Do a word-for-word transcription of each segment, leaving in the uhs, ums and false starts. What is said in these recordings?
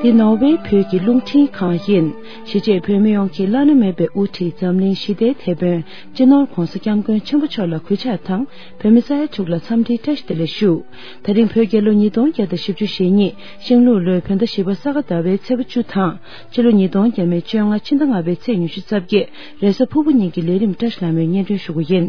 འདི་ནོར་ཝེ་བོད་ཀྱི་རླུང་འཕྲིན་ཁང་ཡིན། གཞིས་བྱེས་བོད་མི་ཡོངས་ཀྱི་བླ་ན་མེད་པའི་དབུ་ཁྲིད་འཛམ་གླིང་ཞི་བདེའི་དེད་དཔོན་སྤྱི་ནོར་༧གོང་ས་༧སྐྱབས་མགོན་ཆེན་པོ་མཆོག་ལ་གུས་ཕྱག་དང་། བོད་མི་ས་ཡ་དྲུག་ལ་འཚམས་འདྲིའི་བཀྲ་ཤིས་བདེ་ལེགས་ཞུ། དེ་རིང་བོད་རྒྱལ་ལོ་ཉིས་སྟོང་བརྒྱ་དང་བཞི་བཅུ་ཞེ་གཉིས་ཤིང་ལུག་ལོའི་བོད་ཟླ་བཞི་པ་ས་ག་ཟླ་བའི་ཚེས་པ་བཅུ་དང་། ཕྱི་ལོ་ཉིས་སྟོང་ཉེར་ལྔ་ཕྱི་ཟླ་ལྔ་པའི་ཚེས་ཉི་ཤུ་རྩ་བརྒྱད་རེས་གཟའ་ཕུར་བུ་ཉིན་གྱི་ལས་རིམ་བཀྲ་ཤིས་ལྷ་མོས་སྙན་སྒྲོན་ཞུ་རྒྱུ་ཡིན།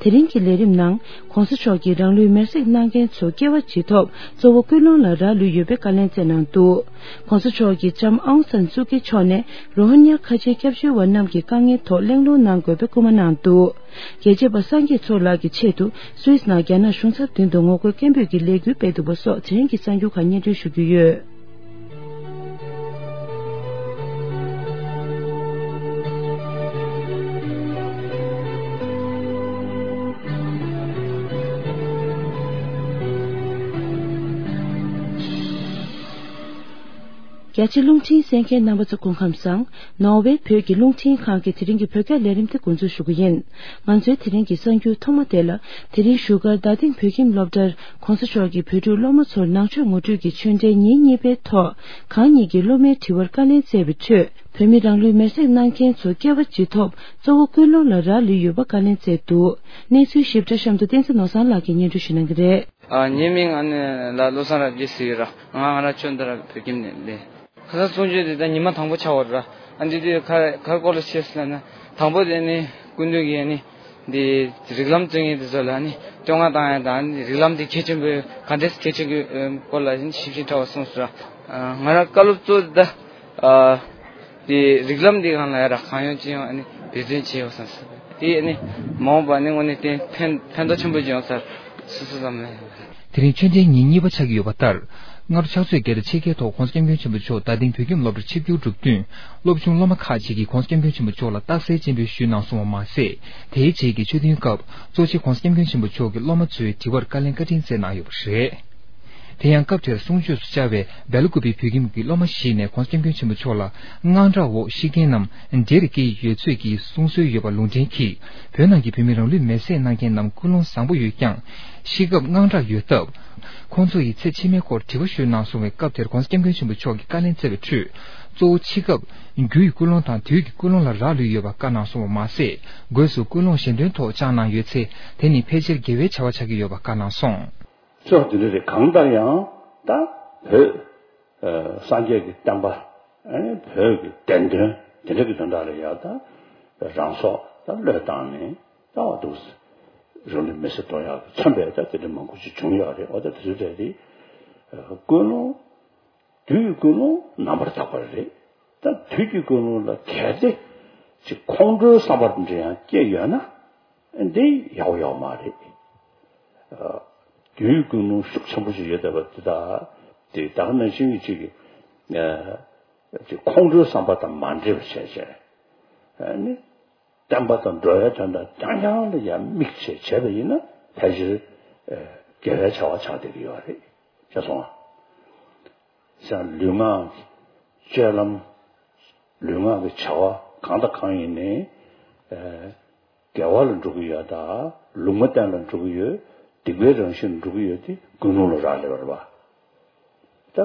དེ་རིང་གི་ལས་རིམ་ནང་༧གོང་ས་མཆོག་གིས་རང་ལུས་མེར་སྲེག་གནང་མཁན་ཚོ་སྐྱེ་བ་བརྗེད་ཐོབ་གཙོ་བོ་ཀུན་སློང་ལ་རག་ལུས་ཡོད་པའི་བཀའ་ལན་སྩལ་གནང་འདུག ༧གོང་ས་མཆོག་གིས་ལྕམ་ཨང་སན་སུ་ཀི་མཆོག་ནས་རོ་ཧིན་ཉ་ཁ་ཆེའི་སྐྱབས་བཅོལ་བ་རྣམས་ཀྱི་དཀའ་ངལ་ཐོག་གླེང་སློང་གནང་དགོས་པའི་སྐུལ་མ་གནང་འདུག་རྒྱལ་གཅེས་པ་སངས་རྒྱས་མཚོ་ལགས་ཀྱི་ཆེད་དུ་སུད་སི་ནང་རྒྱ་ནག་གཞུང་ཚབ་མདུན་དུ་ངོ་རྒོལ་སྐད་འབོད་ཀྱི་ལས་འགུལ་སྤེལ་འདུག་པ་སོགས་དེ་རིང་གི་གསར་འགྱུར་ཁག་སྙན་སྒྲོན་ཞུ་རྒྱུ་ཡོད། རྒྱ་ཆེ་རླུང་འཕྲིན་གསན་མཁན་རྣམ་པ་ཚོ་སྐུ་ཁམས་བཟང་། ནོར་ཝེ་བོད་ཀྱི་རླུང་འཕྲིན་ཁང་གི་དེ་རིང་གི་བོད་སྐད་ལས་རིམ་དེ་འགོ་འཛུགས་ཞུ་གི་ཡིན། ང་ཚོའི་དེ་རིང་གི་གསར་འགྱུར་ཐོག་མ་དེ་ལ། དེ་རིང་བཞུགས་སྒར་རྡ་སྟེང་བོད་ཁྱིམ་སློབ་གྲྭར་༧གོང་ས་མཆོག་གིས་བོད་ཕྲུག་སློབ་མ་ཚོར་ནང་ཆོས་ངོ་སྤྲོད་ཀྱི་ཆོས་འབྲེལ་ཉིན་གཉིས་པའི་ཐོག་གང་ཉིད་ཀྱི་སློབ་མའི་དྲི་བར་བཀའ་ལན་སྩལ་བའི་ཁྲོད། བོད་མི་རང་ལུས་མེར་སྲེག་གནང་མཁན་ཚོ་སྐྱེ་བ་བརྗེད་ཐོབ་གཙོ་བོ་ཀུན་སློང་ལ་རག་ལུས་ཡོད་པ་བཀའ་ལན་སྩལ་འདུག་གནས་ཚུལ་ཞིབ་ཕྲ་གཤམ་དུ་བསྟན་འཛིན་ནོར་བཟང་ལགས་ཀྱིས་སྙན་སྒྲོན་ཞུ་གནང་གི་རེད། ཨ། ངའི་མིང་ཨ་ནི་ལ་བློ་བཟང་རབ་རྒྱས་ཟེར་གྱི་ཡོད་ར། ང་ང་རང་ཆུ་བདག་བོད་ཁྱིམ་ནས་ལས། ཁ་སང་གསུང་ཆོས་དེ་ད་ཉི་མ་དང་པོ་ཆགས་པ་རེད་ར། ཨ་འདི་དུས་ག་ག་རེ་སྐོར་ལ་བཤད་ཟེར་ལབ་ན། དང་པོ་དེ་ནི་སྐུ་མདུན་གྱིས་ཨ་ནི་འདི་རིགས་ལམ་རྩོད་མཁན་དེ་ཚོ་ལ་ཨ་ནི་བསྟོད་བསྔགས་བཏང་ཡ་དང་། ཨ་ནི་རིགས་ལམ་དེ་གལ་ཆེན་པོ་ག་འདྲས་གལ་ཆེན་པོའི་སྐོར་ལ་ཨ་ནི་ཞིབ་ཅིང་ཕྲ་བ་གསུངས་སོང་ར། ང་རང་བཀའ་སློབ་གཙོ་བོ་དེ་ད། དེ་རིགས་ལམ་འདི་སྒང་ལ་ཡ་ར་གང་ཡོང་ཅི་ཡོང་ཨ་ནི་འབད་བརྩོན་བྱེད་ཡོད་བསམ་སོང་། དེ་ཨ་ནི་མ་འོངས་པ་ནི་དངོས་གནས་བརྟན་ཕན་ཕན་ཐོགས་ཆེན་པོ་ཅིག་ཡོང་ས་སོ་སོ་ཙམ་ལ་ཡ། དེ་རིང་ཆོས་འབྲེལ་ཉིན་གཉིས་པ་ཆགས་ཀྱི་ཡོད་པ་ལྟར། སྔ་དྲོ་ཕྱག་ཚོད་བརྒྱད་དང་ཕྱེད་ཀའི་ཐོག་༧གོང་ས་༧སྐྱབས་མགོན་ཆེན་པོ་མཆོག་རྡ་སྟེང་བོད་ཁྱིམ་སློབ་གྲྭར་ཆིབས་བསྒྱུར་གྲུབ་བསྟུན། སློབ་ཆུང་སློབ་མ་ཁག་ཅིག་གིས་༧གོང་ས་༧སྐྱབས་མགོན་ཆེན་པོ་མཆོག་ལ་རྟགས་གསལ་སྤྱན་འབུལ་ཞུས་གནང་སོང་བ་མ་ཟད། དེའི་རྗེས་ཀྱི་ཆོས་ཐུན་སྐབས་གཙོ་ཆེ་༧གོང་ས་༧སྐྱབས་མགོན་ཆེན་པོ་མཆོག་གིས་སློབ་མ་ཚོའི་དྲི་བར་བཀའ་ལན་བཀའ་དྲིན་སྩལ་གནང་ཡོད་པ་རེད། དེ་ཡང་སྐབས་དེར་གསུང་ཆོས་སུ་བཅར་བའི་སྦེལ་ཀོབ་བོད་ཁྱིམ་གྱི་སློབ་མ་ཞིག་ནས་༧གོང་ས་༧སྐྱབས་མགོན་ཆེན་པོ་མཆོག་ལ་དངངས་སྐྲག་འོག་ཤི་མཁན་རྣམས་འདྲེ་རུ་སྐྱེས་ཡོད་ཚོད་ཀྱི་གསུང་སྲོལ་ཡོད་པ་ལུང་འདྲེན་གྱིས། བོད་ནང་གི་བོད་མི་རང་ལུས་མེར་སྲེག་གནང་མཁན་རྣམས་ཀུན་སློང་བཟང་པོ་ཡོད་ཀྱང་། ཤི་སྐབས་དངངས་སྐྲག་ཡོད་སྟབས། ཁོང་ཚོ་ཡི་ཚེ་ཕྱི་མའི་སྐོར་དྲི་བ་ཞུས་གནང་སོང་བའི་སྐབས་དེར་༧གོང་ས་༧སྐྱབས་མགོན་ཆེན་པོ་མཆོག་གིས་བཀའ་ལན་སྩལ་བའི་ཁྲོད། གཙོ་བོ་འཆི་སྐབས་རྒྱུ་ཡི་ཀུན་སློང་དང་དུས་ཀྱི་ཀུན་སློང་ལ་རག་ལུས་ཡོད་པ་བཀའ་གནང་སོང་བ་མ་ཟད། སྒོས་སུ་ཀུན་སློང་གཞན་དོན་ཐོག་བཅངས་གནང་ཡོད་ཚེ། དེ་ནི་ཕལ་ཆེར་དགེ་བའི་བྱ་བ་ཆགས་ཀྱི་ཡོད་པ་བཀའ་གནང་སོང་། ཕྱོགས་འདི་འདྲ་རེད། གང་ལྟར་ཡང་ད་བོད་སངས་རྒྱས་ཀྱི་བསྟན་པ། ཨ་ནི་བོད་ཀྱི་བདེན་དོན་དེ་འདྲ་གི་དོན་དག་ལ་ཡང་ད་རང་སྲོག་ད་བློས་བཏང་ནས་ད་འོ་འདུག་རང་ལུས་མེར་སྲེག་གཏོང་ཡག་གི་མཚོན་པའི་ད་དེ་འདྲ་མང་པོ་ཅིག་བྱུང་ཡོད་རེད། འོ་ད་དེ་ཚོ་གྲས་དེ་ཀུན་སློང་དུས་ཀྱི་ཀུན་སློང་རྣམ་པར་དག་པ་རེད། ད་དུས་ཀྱི་ཀུན་སློང་ལ་གལ་ཏེ་ཅིག་ཁོང་ཁྲོའི་བསམ་པ་འདྲ་ཡང་སྐྱེས་ཡོད་ན། འདི་ཡག་པོ་ཡོད་མ་རེད། ཨ། དུས་ཀུན་སློང་ཤུགས་ཆེན་པོ་ཞིག་ཡོད་བསྡད་པ་འདི་དག་དེ་ད་ག་ནང་བཞིན་གྱི་ཅིག་ཨ། ཅིག་ཁོང་ཁྲོའི་བསམ་པ་དང་མ་འདྲེས་པ་བྱས་བྱས། ཨ་ནི་བསྟན་པ་དང་འགྲོ་བའི་དོན་དག་རྐྱང་རྐྱང་ལ་ཡང་དམིགས་བྱས་བྱས་པ་ཡིན་ན་ཕལ་ཆེར་ཨ། དགེ་བའི་བྱ་བ་ཆགས་བསྡད་ཀྱི་ཡོད་རེད། ཤེས་སོང་ང་། ཡང་ལུས་ངག་གི་སྤྱོད་ལམ། ལུས་ངག་གི་བྱ་བ་གང་དང་གང་ཡིན་ནའི། ཨ། དགེ་བ་ལ་འགྲོ་གི་ཡོད་དང་ལུང་མ་བསྟན་ལ་འགྲོ་གི་ཡོད། སྡིག་པའི་རང་བཞིན་ལ་འགྲོ་གི་ཡོད་དེ་ཀུན་སློང་ལ་རག་ལས་པ་རེད་པ། ད་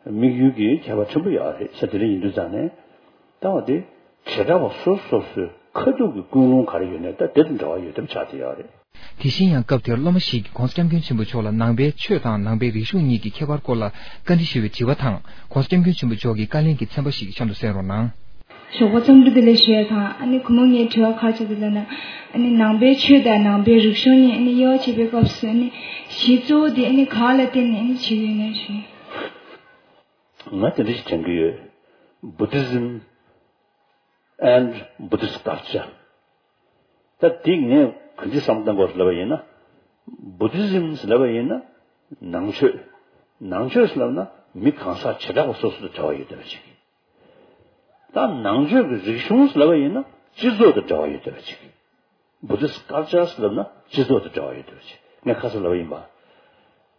དམིགས་ཡུལ་གྱི་ཁྱད་པར་ཆེན་པོ་ཡོད་རེད་ཟེར། དེ་འདྲ་ཡིན་དུས་ཙང་ནས་ད་འོ་དེ་བྱེ་བྲག་པ་སོ་སོ་སོ་སོའི་ཁ་ཐུག་གི་ཀུན་སློང་ག་རེ་ཡོད་ནའི་ད་དེ་དང་འབྲེལ་བ་ཡོད་ཐབས་ཆགས་བསྡད་ཡོད་རེད། དེ་བཞིན་ཡང་སྐབས་དེར་སློབ་མ་ཞིག་གིས་༧གོང་ས་༧སྐྱབས་མགོན་ཆེན་པོ་མཆོག་ལ་ནང་པའི་ཆོས་དང་ནང་པའི་རིག་གཞུང་གཉིས་ཀྱི་ཁྱད་པར་སྐོར་ལ་བཀའ་འདྲི་ཞུས་པའི་དྲི་བ་དང་༧གོང་ས་༧སྐྱབས་མགོན་ཆེན་པོ་མཆོག་གིས་བཀའ་ལན་གྱི་ཚན་པ་ཞིག་གཤམ་དུ་གསན་རོགས་གནང་། ཞོགས་པ་འཚམས་འདྲི་བདེ་ལེགས་ཞུ་ཡ་དང་། ཨ་ནི་གུས་མོ་ངའི་དྲི་བ་ག་རེ་ཆགས་འདུག་ལབ་ན། ཨ་ནི་ནང་པའི་ཆོས་དང་ནང་པའི་རིག་གཞུང་གཉིས་ཨ་ནི་དབྱེ་བ་ཕྱེ་བའི་སྐབས་སུ་ཨ་ནི་གཞི་གཙོ་བོ་དེ་ཨ་ནི་ག་ལ་བརྟེན་ནས་ཨ་ནི་བྱེད་ཀྱི་ཡོད་ན་ཞུ། ང་དེ་འདྲ་ཞིག་དྲན་གྱི་ཡོད། Buddhism and Buddhist culture། ད་འདི་ངས་ག་འདྲ་བསམ་བློ་བཏང་དགོས་ལབ་པ་ཡིན་ན། Buddhism ཟེར་ལབ་པ་ཡིན་ན་ནང་ཆོས། ནང་ཆོས་ཟེར་ལབ་ན་མི་གང་ཟག་བྱེ་བྲག་པ་སོ་སོ་དང་འབྲེལ་བ་ཡོད་བསྡད་པ་ཅིག། ད་ནང་ཆོས་ཀྱི་རིག་གཞུང་ཟེར་ལབ་པ་ཡིན་ན་སྤྱི་ཚོགས་དང་འབྲེལ་བ་ཡོད་བསྡད་པ་ཅིག། Buddhist culture ཟེར་ལབ་ན་སྤྱི་ཚོགས་དང་འབྲེལ་བ་ཡོད་བསྡད་པ་ཅིག། ངས་ཁ་སང་ལབ་པ་ཡིན་པ།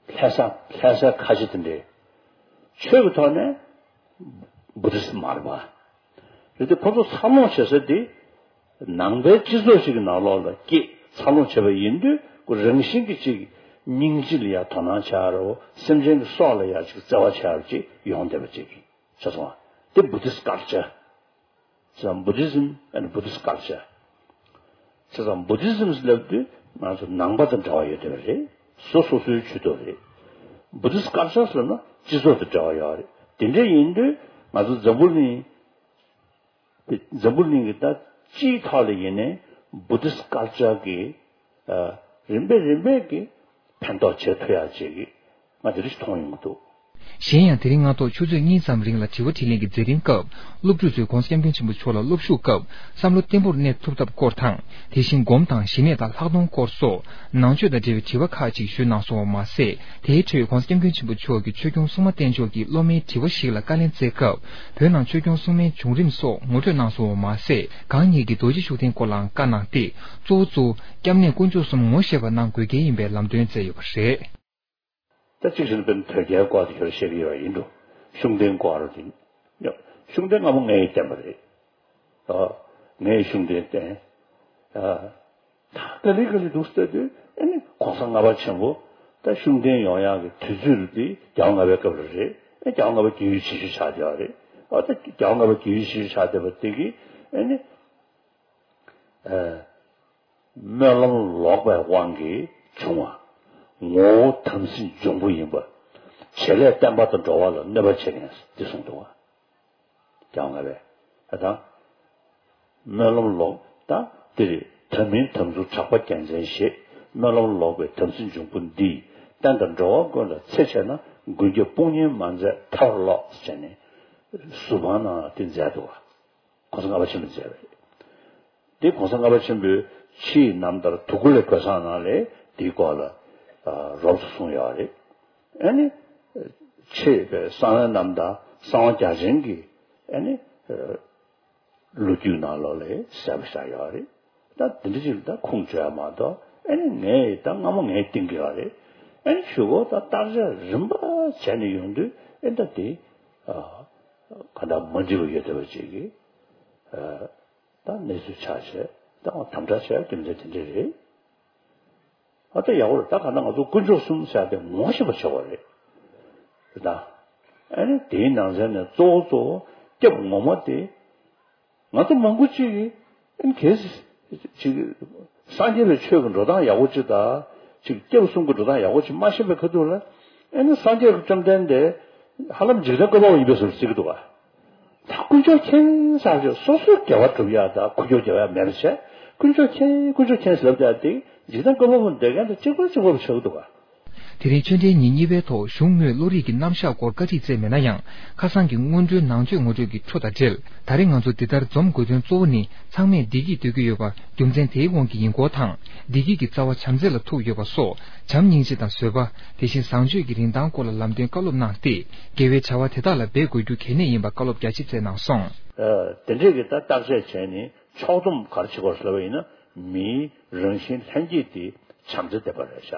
ལྷ་ས་ལྷ་སའི་ཁ་ཆེ་དེ་འདྲས་ཆོས་ཀྱི་ཐོག་ནས་Buddhist མ་རེད་པ། རེད་དེ་ཁོ་ཚོ་འཚར་ལོངས་བྱེད་ས་དེ་ནང་པའི་སྤྱི་ཚོགས་ཤིག་གི་ནང་ལོགས་ལ་སྐྱེས་འཚར་ལོངས་བྱས་པ་ཡིན་དུས་ཁོ་རང་བཞིན་གྱིས་ཅིག་སྙིང་རྗེ་ལ་ཡ་དོ་སྣང་བྱ་རོ། སེམས་ཅན་གྱི་སྲོག་ལ་ཡ་ཅིག་བརྩེ་བ་བྱ་རོ་ཅིག་ཡོང་བསྡད་པ་ཅིག། ཆ་སོང་བ། དེ་Buddhist culture། བྱས་ཙང་Buddhism and Buddhist culture། བྱས་ཙང་Buddhism་ལབ་དུས་ང་ཚོ་ནང་པ་དང་འབྲེལ་བ་ཡོད་བསྡད་པ་རེད། སོ་སོ་སོའི་ཇུས་གཏོགས་རེད། Buddhist culture་ལབ་ན་སྤྱི་ཚོགས་དང་འབྲེལ་བ་ཡོད་རེད། དེ་འདྲ་ཡིན་དུས་ང་ཚོ་འཛམ་བུ་གླིང་འཛམ་བུ་གླིང་གི་ད་སྤྱིའི་ཐོག་ལ་ཡིན་ནའི་Buddhist culture་གི་ཨ་རིམ་པས་རིམ་པས་ཀྱི་ཕན་ཐོགས་བྱེད་ཐུབ་ཡག་ཅིག་གི་ང་དེ་རིགས་མཐོང་ཡོང་གི་འདུག། གཞན་ཡང་དེ་རིང་སྔ་ཐོག་ཆུ་ཚོད་གཉིས་ཙམ་རིང་ལ་དྲི་བ་དྲིས་ལན་གྱི་མཛད་རིམ་སྐབས་སློབ་ཕྲུག་ཚོས་༧གོང་ས་༧སྐྱབས་མགོན་ཆེན་པོ་མཆོག་ལ་སློབ་ཞུགས་སྐབས་བསམ་བློ་བརྟན་པོར་གནས་ཐུབ་ཐབས་སྐོར་དང་དེ་བཞིན་སྒོམ་དང་ཞི་གནས་དང་ལྷག་མཐོང་སྐོར་སོགས་ནང་ཆོས་དང་འབྲེལ་བའི་དྲི་བ་ཁག་ཅིག་ཞུས་གནང་སོང་བ་མ་ཟད། དེའི་འཕྲོས་༧གོང་ས་༧སྐྱབས་མགོན་ཆེན་པོ་མཆོག་གིས་ཆོས་སྐྱོང་སྲུང་མ་བསྟེན་ཕྱོགས་ཀྱི་སློབ་མའི་དྲི་བ་ཞིག་ལ་བཀའ་ལན་སྩལ་སྐབས་བོད་ནང་ཆོས་སྐྱོང་སྲུང་མའི་བྱུང་རིམ་སོགས་ངོ་སྤྲོད་གནང་སོང་བ་མ་ཟད། གང་ཉིད་ཀྱི་རྡོ་རྗེ་ཤུགས་ལྡན་སྐོར་ལའང་བཀའ་གནང་སྟེ། གཙོ་བོ་གཙོ་བོ་སྐྱབས་གནས་དཀོན་མཆོག་གསུམ་ངོ་ཤེས་པ་གནང་དགོས་གལ་ཡིན་པའི་ལམ་སྟོན་སྩལ་ཡོད་པ་རེད། ད་གཅིག་བྱས་ན་དཔེར་ན་དོལ་རྒྱལ་སྐོར་དེ་ཁྱོད་བཤད་ཀྱི་ཡོད་ཡིན་འགྲོ། ཤུགས་ལྡན་སྐོར་དེ། ཡ། ཤུགས་ལྡན་སྔ་མོ་ངས་བསྟེན་པ་རེད། ཨ། ངས་ཤུགས་ལྡན་བསྟེན། ཨ། ད་ག་ལེ་ག་ལེ་འདུག་ཟེར་དུས་ཨ་ནི་གོང་ས་ལྔ་པ་ཆེན་པོ་ད་ཤུགས་ལྡན་ཡོང་ཡག་གི་དུས་ཚོད་དེ་རྒྱལ་བ་ལྔ་པའི་སྐབས་ལ་རེད། ཨ། རྒྱལ་བ་ལྔ་པ་རྒྱལ་ཡུལ་ཆེ་ཤོས་ཆགས་བསྡད་པ་རེད། ཨ། ད་རྒྱལ་བ་ལྔ་པ་རྒྱལ་ཡུལ་ཆེ་ཤོས་ཆགས་བསྡད་པ་དེ་གིས་ཨ་ནི། ཨ། སྨོན་ལམ་ལོག་པའི་དབང་གིས་བྱུང་བ། ངོ་བོ་དམ་སྲི་འབྱུང་པོ་ཡིན་པ། བྱེད་ལས་བསྟན་པ་དང་འགྲོ་བ་ལ་གནོད་པ་བྱེད་མཁན་འདི་གསུངས་འདུག་བ། རྒྱལ་བ་ལྔ་པས། ད་སྨོན་ལམ་ལོག་ད་འདིར་དམ་མིན་དམ་ཚུལ་གྲགས་པ་རྒྱལ་མཚན་ཞེས། སྨོན་ལམ་ལོག་པའི་དམ་སྲི་འབྱུང་པོ་འདིས། བསྟན་དང་འགྲོ་བ་ཀུན་ལ་འཚེ་བྱས་ན། མགོན་སྐྱབས་དཔུང་གཉེན་མ་མཛད་ཐར་བར་ལོག་ཟེར་ནས་ཟུར་ཕང་ནང་དེ་མཛད་འདུག་བ། གོང་ས་ལྔ་པ་ཆེན་པོས་མཛད་པ་རེད། འདི་གོང་ས་ལྔ་པ་ཆེན་པོས་ཕྱིའི་རྣམ་ཐར་དུ་ཀཱུ་ལའི་གོས་བཟང་ནང་ལ་འདིའི་སྐོར་ལ་ཨ་རོབ་ཙམ་གསུངས་ཡོད་རེད། ཨ་ནི་ཕྱིའི་གསང་བའི་རྣམ་ཐར་གསང་བ་རྒྱ་ཆེན་གྱི་ཨ་ནི་ལོ་རྒྱུས་ནང་ལོགས་ལ་གསལ་པོ་བཞག་ཡོད་རེད། ད་དེ་འདྲ་ཅིག་ད་ཁུངས་བཅོལ་ཡ་མ་གཏོགས་ཨ་ནི་ངས་ད་སྔ་མོ་ངས་བསྟན་གྱི་ཡོད་རེད། ཨ་ནི་གཞུག་གུ་ད་བརྟག་དཔྱད་རིམ་པ་བྱས་ནས་ཡོང་དུས་ཨ་ད་དེ་ཨ་ག་འདྲ་མ་འགྲིག་པ་ཡོད་བསྡད་པ་ཅིག་གིས་ཨ། ད་གནས་ཚུལ་ཆགས་བྱས་ད་དམ་དྲག་བྱས་རྒྱུ་མཚན་དེ་འདྲ་རེད། ཨ་ད་ཡག་པོ་རེད། ད་ག་ན་ང་ཚོ་དཀོན་མཆོག་གསུམ་ཟེར་ཏེ་ངོ་ཤེས་པ་བྱེད་དགོས་རེད། རེད་ད། ཨ་ནི་དེའི་ནང་ཚན་ནས་གཙོ་བོ་གཙོ་བོ་སྐྱབས་ངོ་མ་དེ། ང་ཚོ་མང་པོ་ཅིག་གིས་ཨ་ནི་གལ་སྲིད་ཅིག་སངས་རྒྱས་པའི་ཆོས་ཀྱི་འགྲོ་སྟངས་ཡག་པོ་ཅིག་དང་ཅིག་སྐྱབས་གསུམ་གྱི་འགྲོ་སྟངས་ཡག་པོ་ཅིག་མ་ཤེས་པའི་ཁ་ཐུག་ལ་ཨ་ནི་སངས་རྒྱས་ཀྱི་བཅོམ་ལྡན་འདས་ཧ་ལམ་འཇིག་རྟེན་བཀོད་པ་པོ་ཡིན་པའི་བཟོ་འདྲ་བརྩི་གི་འདུག་ག་ད་དཀོན་མཆོག་མཁྱེན་ཟེར་བྱས་སོ་སོའི་དགེ་བ་སྒྲུབ་ཡ་དང་འགུལ་སྐྱོད་རྒྱག་ཡ་མེད་པ་བྱས། དཀོན་མཆོག་མཁྱེན་དཀོན་མཆོག་མཁྱེན་ཟེར་ལབ་ཡ་དེ་འཇིག་རྟེན་བཀོད་པ་པོ་འདོད་མཁན་དང་གཅིག་པ་གཅིག་པ་བྱེད་ཀྱི་འདུག་ག་དེ་རིང་ཆོས་འབྲེལ་ཉིན་གཉིས་པའི་ཐོག་གཞུང་དངོས་བློ་རིག་གི་རྣམ་གཞག་སྐོར་བཀའ་ཁྲིད་སྩལ་མེད་ན་ཡང་། ཁ་སང་གི་སྔོན་འགྲོའི་ནང་ཆོས་ངོ་སྤྲོད་ཀྱི་འཕྲོ་དང་འབྲེལ། ད་རེས་ང་ཚོ་འདི་ལྟར་འཛོམས་དགོས་དོན་གཙོ་བོ་ནི་ཚང་མས་བདེ་སྐྱིད་འདོད་ཀྱི་ཡོད་པ་རྒྱུ་མཚན་དེའི་དབང་གིས་ཡིན་སྐོར་དང་། བདེ་སྐྱིད་ཀྱི་རྩ་བ་བྱམས་བརྩེ་ལ་ཐུག་ཡོད་པ་སོགས་བྱམས་སྙིང་རྗེ་དང་བཟོད་པ། དེ་བཞིན་བཟང་སྤྱོད་ཀྱི་རིན་ཐང་སྐོར་ལ་ལམ་སྟོན་བཀའ་སློབ་གནང་སྟེ། དགེ་བའི་བྱ་བ་དེ་དག་ལ་འབད་དགོས་རྒྱུ་གལ་གནད་ཡིན་པ་བཀའ་སློབ་རྒྱ་ཆེ་སྩལ་གནང་སོང་། ཨ། དེ་འདྲས་ཀྱི་ད་བརྟག་དཔྱད་བྱས་ནས་ཕྱོགས་བསྡོམས་ག་རེ་བྱེད་དགོས་ཟེར་བ་ཡིན་ན། མིའི་རང་བཞིན་ལྷན་སྐྱེས་དེ་བྱམས་བརྩེ་ལྡན་པ་རེད་ཤག་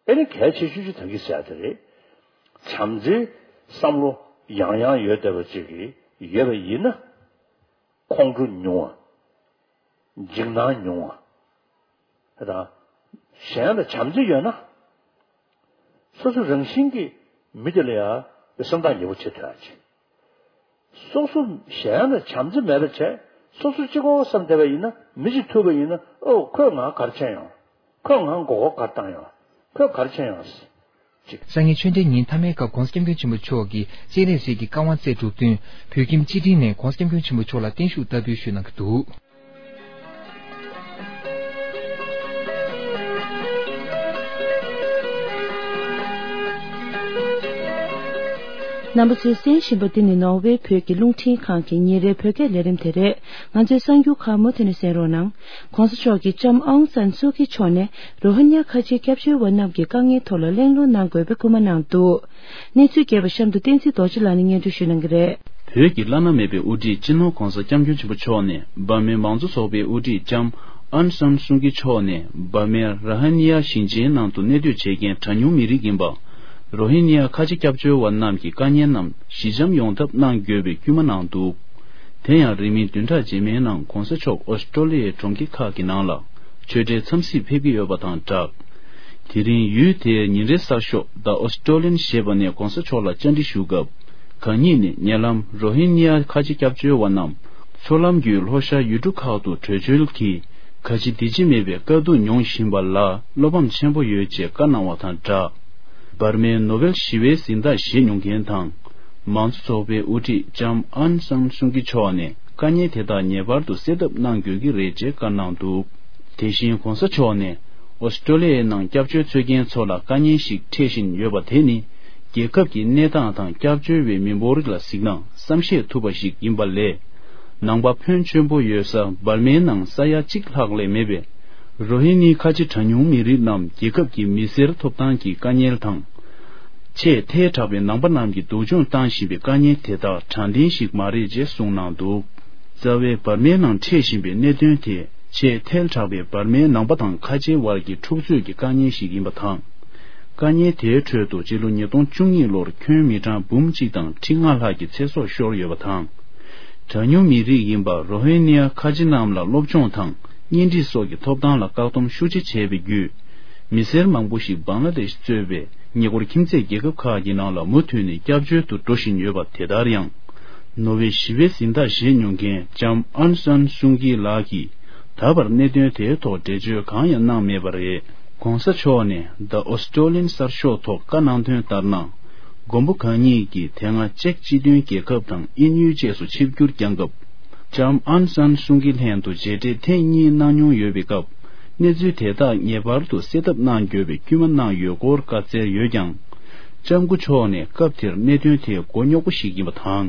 ཨེ་ནི་གལ་ཆེ་ཤོས་ཅིག་ད་གིན་ཟེར་ཡ་དེ་རེད། བྱམས་བརྩེའི་བསམ་བློ་ཡང་ཡང་ཡོད་བསྡད་པ་ཅིག་གིས་ཡོད་པ་ཡིན་ན། ཁོང་ཁྲོ་ཉུང་བ། འཇིགས་སྣང་ཉུང་བ། དེ་དང་། གཞན་ལ་བྱམས་བརྩེ་ཡོད་ན། སོ་སོ་རང་བཞིན་གྱིས་མི་དེ་ལ་ཡང་སེམས་ཐག་ཉེ་པོ་བྱེད་ཐུབ་ཡ་ཅིག་སོ་སོ་གཞན་ལ་བྱམས་བརྩེ་མེད་པ་བྱས། སོ་སོ་གཅིག་པོ་བསམ་བསྡད་པ་ཡིན་ན། མི་གཅིག་ཐུག་པ་ཡིན་ན། ཨོ། ཁོས་ང་ག་རེ་བྱས་ཡོང་། ཁོས་ང་མགོ་སྐོར་ག་རེ་བཏང་ཡོང་། ཁོས་ག་རེ་བྱས་ཡོང་། ཅིག་སང་ཉིན་ཆོས་འབྲེལ་ཉིན་མཐའ་མའི་སྐབས་༧གོང་ས་༧སྐྱབས་མགོན་ཆེན་པོ་མཆོག་གིས་སྤྱན་རས་གཟིགས་ཀྱི་བཀའ་དབང་སྩལ་གྲུབ་བསྟུན། བོད་ཁྱིམ་སྤྱི་ཁྲིམས་ནས་༧གོང་ས་༧སྐྱབས་མགོན་ཆེན་པོ་མཆོག་ལ་བརྟན་བཞུགས་བསྟར་འབུལ་ཞུས་གནང་གི་འདུག་རྣམ་པ་ཚོས་གསན་བཞིན་པ་འདི་ནི་ནོར་ཝེ་བོད་ཀྱི་རླུང་འཕྲིན་ཁང་གི་ཉིན་རེའི་བོད་སྐད་ལས་རིམ་དེ་རེད། ང་ཚོའི་གསར་འགྱུར་ཁག་མུ་མཐུད་ནས་གསན་རོགས་གནང་། ༸གོང་ས་མཆོག་གིས་ལྕམ་ཨང་སན་སུའུ་ཀི་མཆོག་ནས་རོ་ཧི་ཉ་ཁ་ཆེའི་སྐྱབས་བཅོལ་བ་རྣམས་ཀྱི་དཀའ་ངལ་ཐོག་ལ་གླེང་སློང་གནང་དགོས་པའི་སྐུལ་མ་གནང་འདུག་གནས་ཚུལ་རྒྱས་པ་གཤམ་དུ་བསྟན་འཛིན་རྡོ་རྗེ་ལགས་ནས་སྙན་སྒྲོན་ཞུ་གནང་གི་རེད། བོད་ཀྱི་བླ་ན་མེད་པའི་དབུ་ཁྲིད་སྤྱི་ནོར་༸གོང་ས་༸སྐྱབས་མགོན་ཆེན་པོ་མཆོག་ནས་འབར་མའི་མང་གཙོ་ཚོགས་པའི་དབུ་ཁྲིད་ལྕམ་ཨན་སན་སུའུ་ཀི་མཆོག་ནས་འབར་མའི་ར་ཧ་ནི་ཡ་ཞིང་ཆེན་ནང་དུ་གནས་སྡོད་བྱེད་མཁན་གྲངས་ཉུང་མི་རིགས་ཡིན་པ། རོ་ཧི་ནི་ཡ་ཁ་ཆེ་སྐྱབས་བཅོལ་བ་རྣམས་ཀྱི་དཀའ་ངལ་རྣམས་ཞི་འཇམ་ཡོང་ཐབས་གནང་དགོས་པའི་སྐུལ་མ་གནང་འདུག་དེ་ཡང་རིང་མིན་བདུན་ཕྲག་རྗེས་མའི་ནང་༸གོང་ས་མཆོག་ཨོ་སི་ཀྲོ་ལི་ཡའི་གྲོང་ཁྱེར་ཁག་གི་ནང་ལ་ཆོས་འབྲེལ་འཚམས་གཟིགས་ཕེབས་ཀྱི་ཡོད་པ་དང་སྦྲགས། དེ་རིང་ཡུལ་དེའི་ཉིན་རེའི་གསར་ཤོག་The Australian ཞེས་པ་ནས་༸གོང་ས་མཆོག་ལ་བཅར་འདྲི་ཞུ་སྐབས། གང་ཉིད་ནས་ཉེ་ལམ་རོ་ཧི་ནི་ཡ་ཁ་ཆེ་སྐྱབས་བཅོལ་བ་རྣམས་མཚོ་ལམ་བརྒྱུད་ལྷོ་ཤར་ཡུལ་གྲུ་ཁག་ཏུ་བྲོས་བྱོལ་གྱིས་ག་ཅི་འདི་ཅི་མེད་པའི་དཀའ་སྡུག་མྱོང་བཞིན་པ་ལ་བློ་ཕམ་ཆེན་པོ་ཡོད་ཅེས་བཀའ་གནང་བ་དང་སྦྲགས། འབར་མའི་ནོ་བེལ་ཞི་བའི་གཟེངས་རྟགས་བཞེས་མྱོང་མཁན་དང་། མང་གཙོ་ཚོགས་པའི་དབུ་ཁྲིད་ལྕམ་ཨན་སན་སུང་ཀི་མཆོག་ནས་དཀའ་ངལ་དེ་དག་ངེས་པར་དུ་སེལ་ཐབས་གནང་དགོས་ཀྱི་རེད་ཅེས་བཀའ་གནང་འདུག་དེ་བཞིན་གོང་ས་མཆོག་ནས་ཨོ་སི་ཀྲོ་ལི་ཡའི་ནང་སྐྱབས་བཅོལ་འཚོལ་མཁན་ཚོ་ལ་དཀའ་ངལ་ཞིག་འཕྲད་བཞིན་ཡོད་པ་དེ་ནི། རྒྱལ་ཁབ་ཀྱི་གནས་སྟངས་དང་སྐྱབས་བཅོལ་བའི་མི་འབོར་ལ་གཟིགས་ན་བསམ་ཤེས་ཐུབ་པ་ཞིག་ཡིན་པ་ལས། ནང་པ་ཕོན་ཆེན་པོ་ཡོད་ས་འབར་མའི་ནང་ས་ཡ་གཅིག་ལྷག་ལས་མེད་པའི་རོ་ཧི་ནི་ཁ་ཆེ་གྲངས་ཉུང་མི་རིགས་རྣམས་རྒྱལ་ཁབ་ཀྱི་མི་སེར་ཐོབ་ཐང་གི་དཀའ་ངལ་དང་། ཆེས་ཐལ་དྲགས་པའི་ནང་པ་རྣམས་ཀྱིས་སྡུག་སྦྱོང་བཏང་བཞིན་པའི་དཀའ་ངལ་དེ་དག་དྲང་བདེན་ཞིག་མ་རེད་ཅེས་གསུངས་གནང་འདུག་རྩ་བའི་འབར་མའི་ནང་འཕྲད་བཞིན་པའི་གནད་དོན་དེ་ཆེས་ཐལ་དྲགས་པའི་འབར་མའི་ནང་པ་དང་ཁ་ཆེའི་བར་གྱི་འཁྲུག་རྩོད་ཀྱི་དཀའ་ངལ་ཞིག་ཡིན་པ་དང་། དཀའ་ངལ་དེའི་ཁྲོད་དུ་སྤྱི་ལོ་ཉིས་སྟོང་བཅུ་གཉིས་ལོར་ཁྱོན་མི་གྲངས་འབུམ་གཅིག་དང་ཁྲི་ལྔ་ལྷག་གི་ཚེ་སྲོག་ཤོར་ཡོད་པ་དང་། གྲངས་ཉུང་མི་རིགས་ཡིན་པ་རོ་ཧི་ནི་ཡ་ཁ་ཆེ་རྣམས་ལ་སློབ་སྦྱོང་དང་གཉེན་སྒྲིག་སོགས་ཀྱི་ཐོབ་ཐང་ལ་བཀག་སྡོམ་ཤུགས་ཆེ་བྱས་པའི་བརྒྱུད། མི་སེར་མང་པོ་ཞིག་བང་ལ་དེཤ་གཙོས་པའི་ཉེ་འཁོར་ཁྱིམ་མཚེས་རྒྱལ་ཁབ་ཁག་གི་ནང་ལ་མུ་མཐུད་ནས་སྐྱབས་བཅོལ་དུ་འགྲོ་བཞིན་ཡོད་པ་དེ་ལྟར་ཡང་། ནོ་བེལ་ཞི་བའི་གཟེངས་རྟགས་བཞེས་མྱོང་མཁན་ལྕམ་ཨན་སན་སུང་ཀི་ལགས་ཀྱིས་ད་བར་གནད་དོན་དེའི་ཐོག་འགྲེལ་བརྗོད་གང་ཡང་གནང་མེད་པ་རེད། གོང་ས་མཆོག་ནས་The Australian གསར་ཤོག་ཐོག་བཀའ་གནང་དོན་ལྟར་ན། མགོན་པོ་གང་ཉིད་ཀྱིས་དེ་སྔ་ཅེཀ་སྤྱི་མཐུན་རྒྱལ་ཁབ་དང་དབྱིན་ཡུལ་བཅས་སུ་ཆིབས་བསྒྱུར་བསྐྱངས་སྐབས། ལྕམ་ཨན་སན་སུང་ཀི་ལྷན་དུ་མཇལ་འཕྲད་ཐེངས་གཉིས་གནང་མྱོང་ཡོད་པའི་སྐབས། གནས་ཚུལ་དེ་དག་ངེས་པར་དུ་སེལ་ཐབས་གནང་དགོས་པའི་སྐུལ་མ་གནང་ཡོད་སྐོར་བཀའ་སྩལ་ཡོད་ཀྱང་། ལྕམ་སྐུ་མཆོག་ནས་སྐབས་དེར་གནད་དོན་དེ་མགོ་རྙོག་པོ་ཞིག་ཡིན་པ་དང་།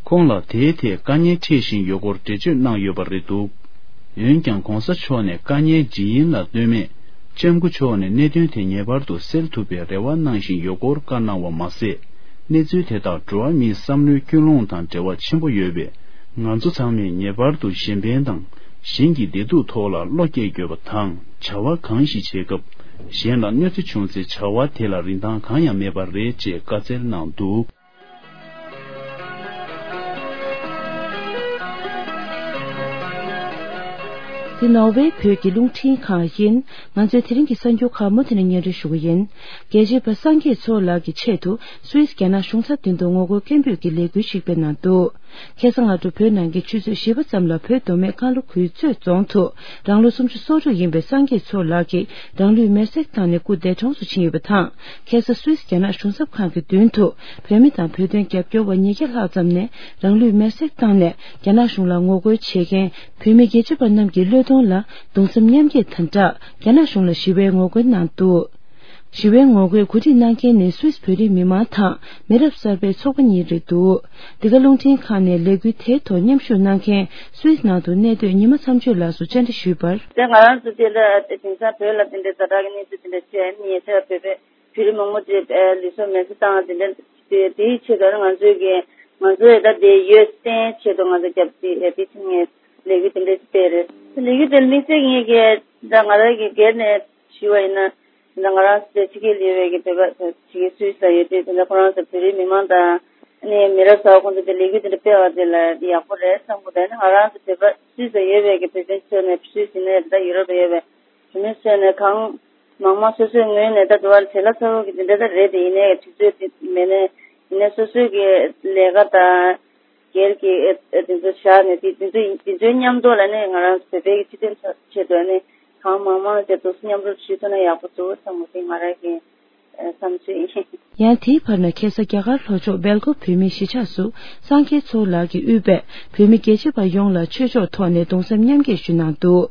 ཁོང་ལ་དེའི་ཐད་དཀའ་ངལ་འཕྲད་བཞིན་ཡོད་སྐོར་འགྲེལ་བརྗོད་གནང་ཡོད་པ་རེད་འདུག་འོན་ཀྱང་གོང་ས་མཆོག་ནས་དཀའ་ངལ་ཇི་ཡིན་ལ་ལྟོས་མེད། ལྕམ་སྐུ་མཆོག་ནས་གནད་དོན་དེ་ངེས་པར་དུ་སེལ་ཐུབ་པའི་རེ་བ་གནང་བཞིན་ཡོད་སྐོར་བཀའ་གནང་བ་མ་ཟད། གནས་ཚུལ་དེ་དག་འགྲོ་བ་མིའི་བསམ་བློའི་ཀུན་སློང་དང་འབྲེལ་བ་ཆེན་པོ་ཡོད་པས། ང་ཚོ་ཚང་མས་ངེས་པར་དུ་གཞན་ཕན་དང་། གཞན་གྱི་བདེ་སྡུག་ཐོག་ལ་བློ་སྐྱེད་དགོས་པ་དང་། བྱ་བ་གང་ཞིག་བྱེད་སྐབས། གཞན་ལ་གནོད་འཚེ་བྱུང་ཚེ་བྱ་བ་དེ་ལ་རིན་ཐང་གང་ཡང་མེད་པ་རེད་ཅེས་བཀའ་སྩལ་གནང་འདུག་འདི་ནོར་ཝེ་བོད་ཀྱི་རླུང་འཕྲིན་ཁང་ཡིན། ང་ཚོའི་དེ་རིང་གི་གསར་འགྱུར་ཁག་མུ་མཐུད་ནས་སྙན་སྒྲོན་ཞུ་གི་ཡིན། རྒྱལ་གཅེས་པ་སངས་རྒྱས་མཚོ་ལགས་ཀྱི་ཆེད་དུ་སུད་སི་རྒྱ་ནག་གཞུང་ཚབ་མདུན་དུ་ངོ་རྒོལ་སྐད་འབོད་ཀྱི་ལས་འགུལ་ཞིག་སྤེལ་གནང་འདུག་ཁ་སང་སྔ་དྲོ་བོད་ནང་གི་ཆུ་ཚོད་བཞི་པ་ཙམ་ལ་བོད་མདོ་སྨད་ཀ་ལུ་ཁུལ་གཙོས་རྫོང་དུ་རང་ལོ་སུམ་ཅུ་སོ་དྲུག་ཡིན་པའི་སངས་རྒྱས་མཚོ་ལགས་ཀྱིས་རང་ལུས་མེར་སྲེག་བཏང་ནས་སྐུ་འདས་གྲོངས་སུ་ཕྱིན་ཡོད་པ་དང་། ཁ་སང་སུད་སི་རྒྱ་ནག་གཞུང་ཚབ་ཁང་གི་མདུན་དུ་བོད་མི་དང་བོད་དོན་རྒྱབ་སྐྱོར་བ་ཉིས་བརྒྱ་ལྷག་ཙམ་ནས་རང་ལུས་མེར་སྲེག་བཏང་ནས་རྒྱ་ནག་གཞུང་ལ་ངོ་རྒོལ་བྱེད་མཁན་བོད་མི་རྒྱལ་གཅེས་པ་རྣམས་ཀྱི་བློས་གཏོང་ལ་གདུང་སེམས་མཉམ་སྐྱེད་དང་སྦྲགས་རྒྱ་ནག་གཞུང་ལ་ཞི་བའི་ངོ་རྒོལ་གནང་འདུག་ཞི་བའི་ངོ་རྒོལ་གོ་སྒྲིག་གནང་མཁན་ནི་སུད་སི་བོད་རིགས་མི་མང་དང་མི་རབས་གསར་པའི་ཚོགས་པ་གཉིས་རེད་འདུག་འདི་ག་རླུང་འཕྲིན་ཁང་ནས་ལས་འགུལ་དེའི་ཐོག་མཉམ་ཞུགས་གནང་མཁན་སུད་སི་ནང་དུ་གནས་སྡོད་ཉི་མ་མཚམས་གཅོད་ལགས་སུ་བཅར་འདྲི་ཞུས་པར། དེ་ང་རང་ཚོ་དེ་ལ་དེང་སང་བོད་ལ་དེ་འདྲའི་ཛ་དྲག་གི་གནས་ཚུལ་དེ་འདྲ་བྱས་ནས་ཉེ་ཆར་བོད་པའི་བོད་རིགས་མང་པོ་དེ་ལུས་སྲོག་མེར་སྲེག་བཏང་དེ་འདྲ་དེ་དེའི་ཆེད་དུ་ང་ཚོའི་གི་ང་ཚོའི་ད་དེ་ཡོད་བསྟན་ཆེད་དུ་ང་ཚོ་རྒྱབ་དེ་དེ་ཆེད་ངས་ལས་འགུལ་དེ་འདྲ་སྤེལ་རེད། ལས་འགུལ་དེ་དམིགས་བསལ་ངས་གི་ད་ང་རང་གི་སྒེར་ནས་ཞུས་པ་ཡིན་ན། ད་ང་རང་ཚོ་ཕྱི་རྒྱལ་ཡོད་པའི་གི་བོད་པ་ཕྱི་རྒྱལ་སུད་སི་ལ་ཡོད་དུས་དེ་འདྲ་ཁོ་རང་ཚོ་བོད་རིགས་མི་མང་དང་ཨ་ནི་མི་རབས་གསར་པ་ཁོང་ཚོ་དེ་ལས་འགུལ་དེ་འདྲ་སྤེལ་བ་དེ་ལ་ཡག་པོ་རེད་བསམ་གི་འདུག་ཨ་ནི་ང་རང་ཚོ་བོད་པ་སུད་སི་ལ་ཡོད་པའི་གི་བོད་དོན་ཆེད་ནས་སུད་སི་ནས་ད་ཡུ་རོབ་ལ་ཡོད་པའི་བོད་མི་ཚོ་ནས་གང་མང་མང་སོ་སོའི་ངོས་ནས་ད་དུ་བར་བྱེད་ལ་ཚ་བོ་གི་དེ་འདྲ་ད་རེད་དེ་ཡིན་ནའི་དུས་ཚོད་དེ་མེད་ནའི་ཡིན་ནའི་སོ་སོའི་གི་ལས་ཀ་དང་། སྒེར་གྱི་ཨེ་ཨེ་དེ་ཚོ་བཞག་ནས་དེ་དེ་ཚོ་དེ་ཚོའི་མཉམ་དུ་ལ་ནི་ང་རང་བོད་པའི་སྤྱི་དོན་ཆེད་དུ་ནི་གང་མང་མང་བྱས་ཏོག་ཙམ་མཉམ་རུབ་ཞུས་ཐུབ་ན་ཡག་པོ་འདུག་བསམ་གི་འདུག་ང་རང་གི་ཨེ་བསམ་ཚུལ་ཡིན། ཡང་དེའི་བར་ན་ཁ་སང་རྒྱ་གར་ལྷོ་ཕྱོགས་སྦེལ་ཀོབ་བོད་མིའི་གཞིས་ཆགས་སུ་སངས་རྒྱས་མཚོ་ལགས་ཀྱིས་དབུས་པའི་བོད་མི་རྒྱལ་གཅེས་པ་ཡོངས་ལ་ཆོས་ཕྱོགས་ཐོག་ནས་གདུང་སེམས་མཉམ་སྐྱེད་ཞུས་གནང་འདུག་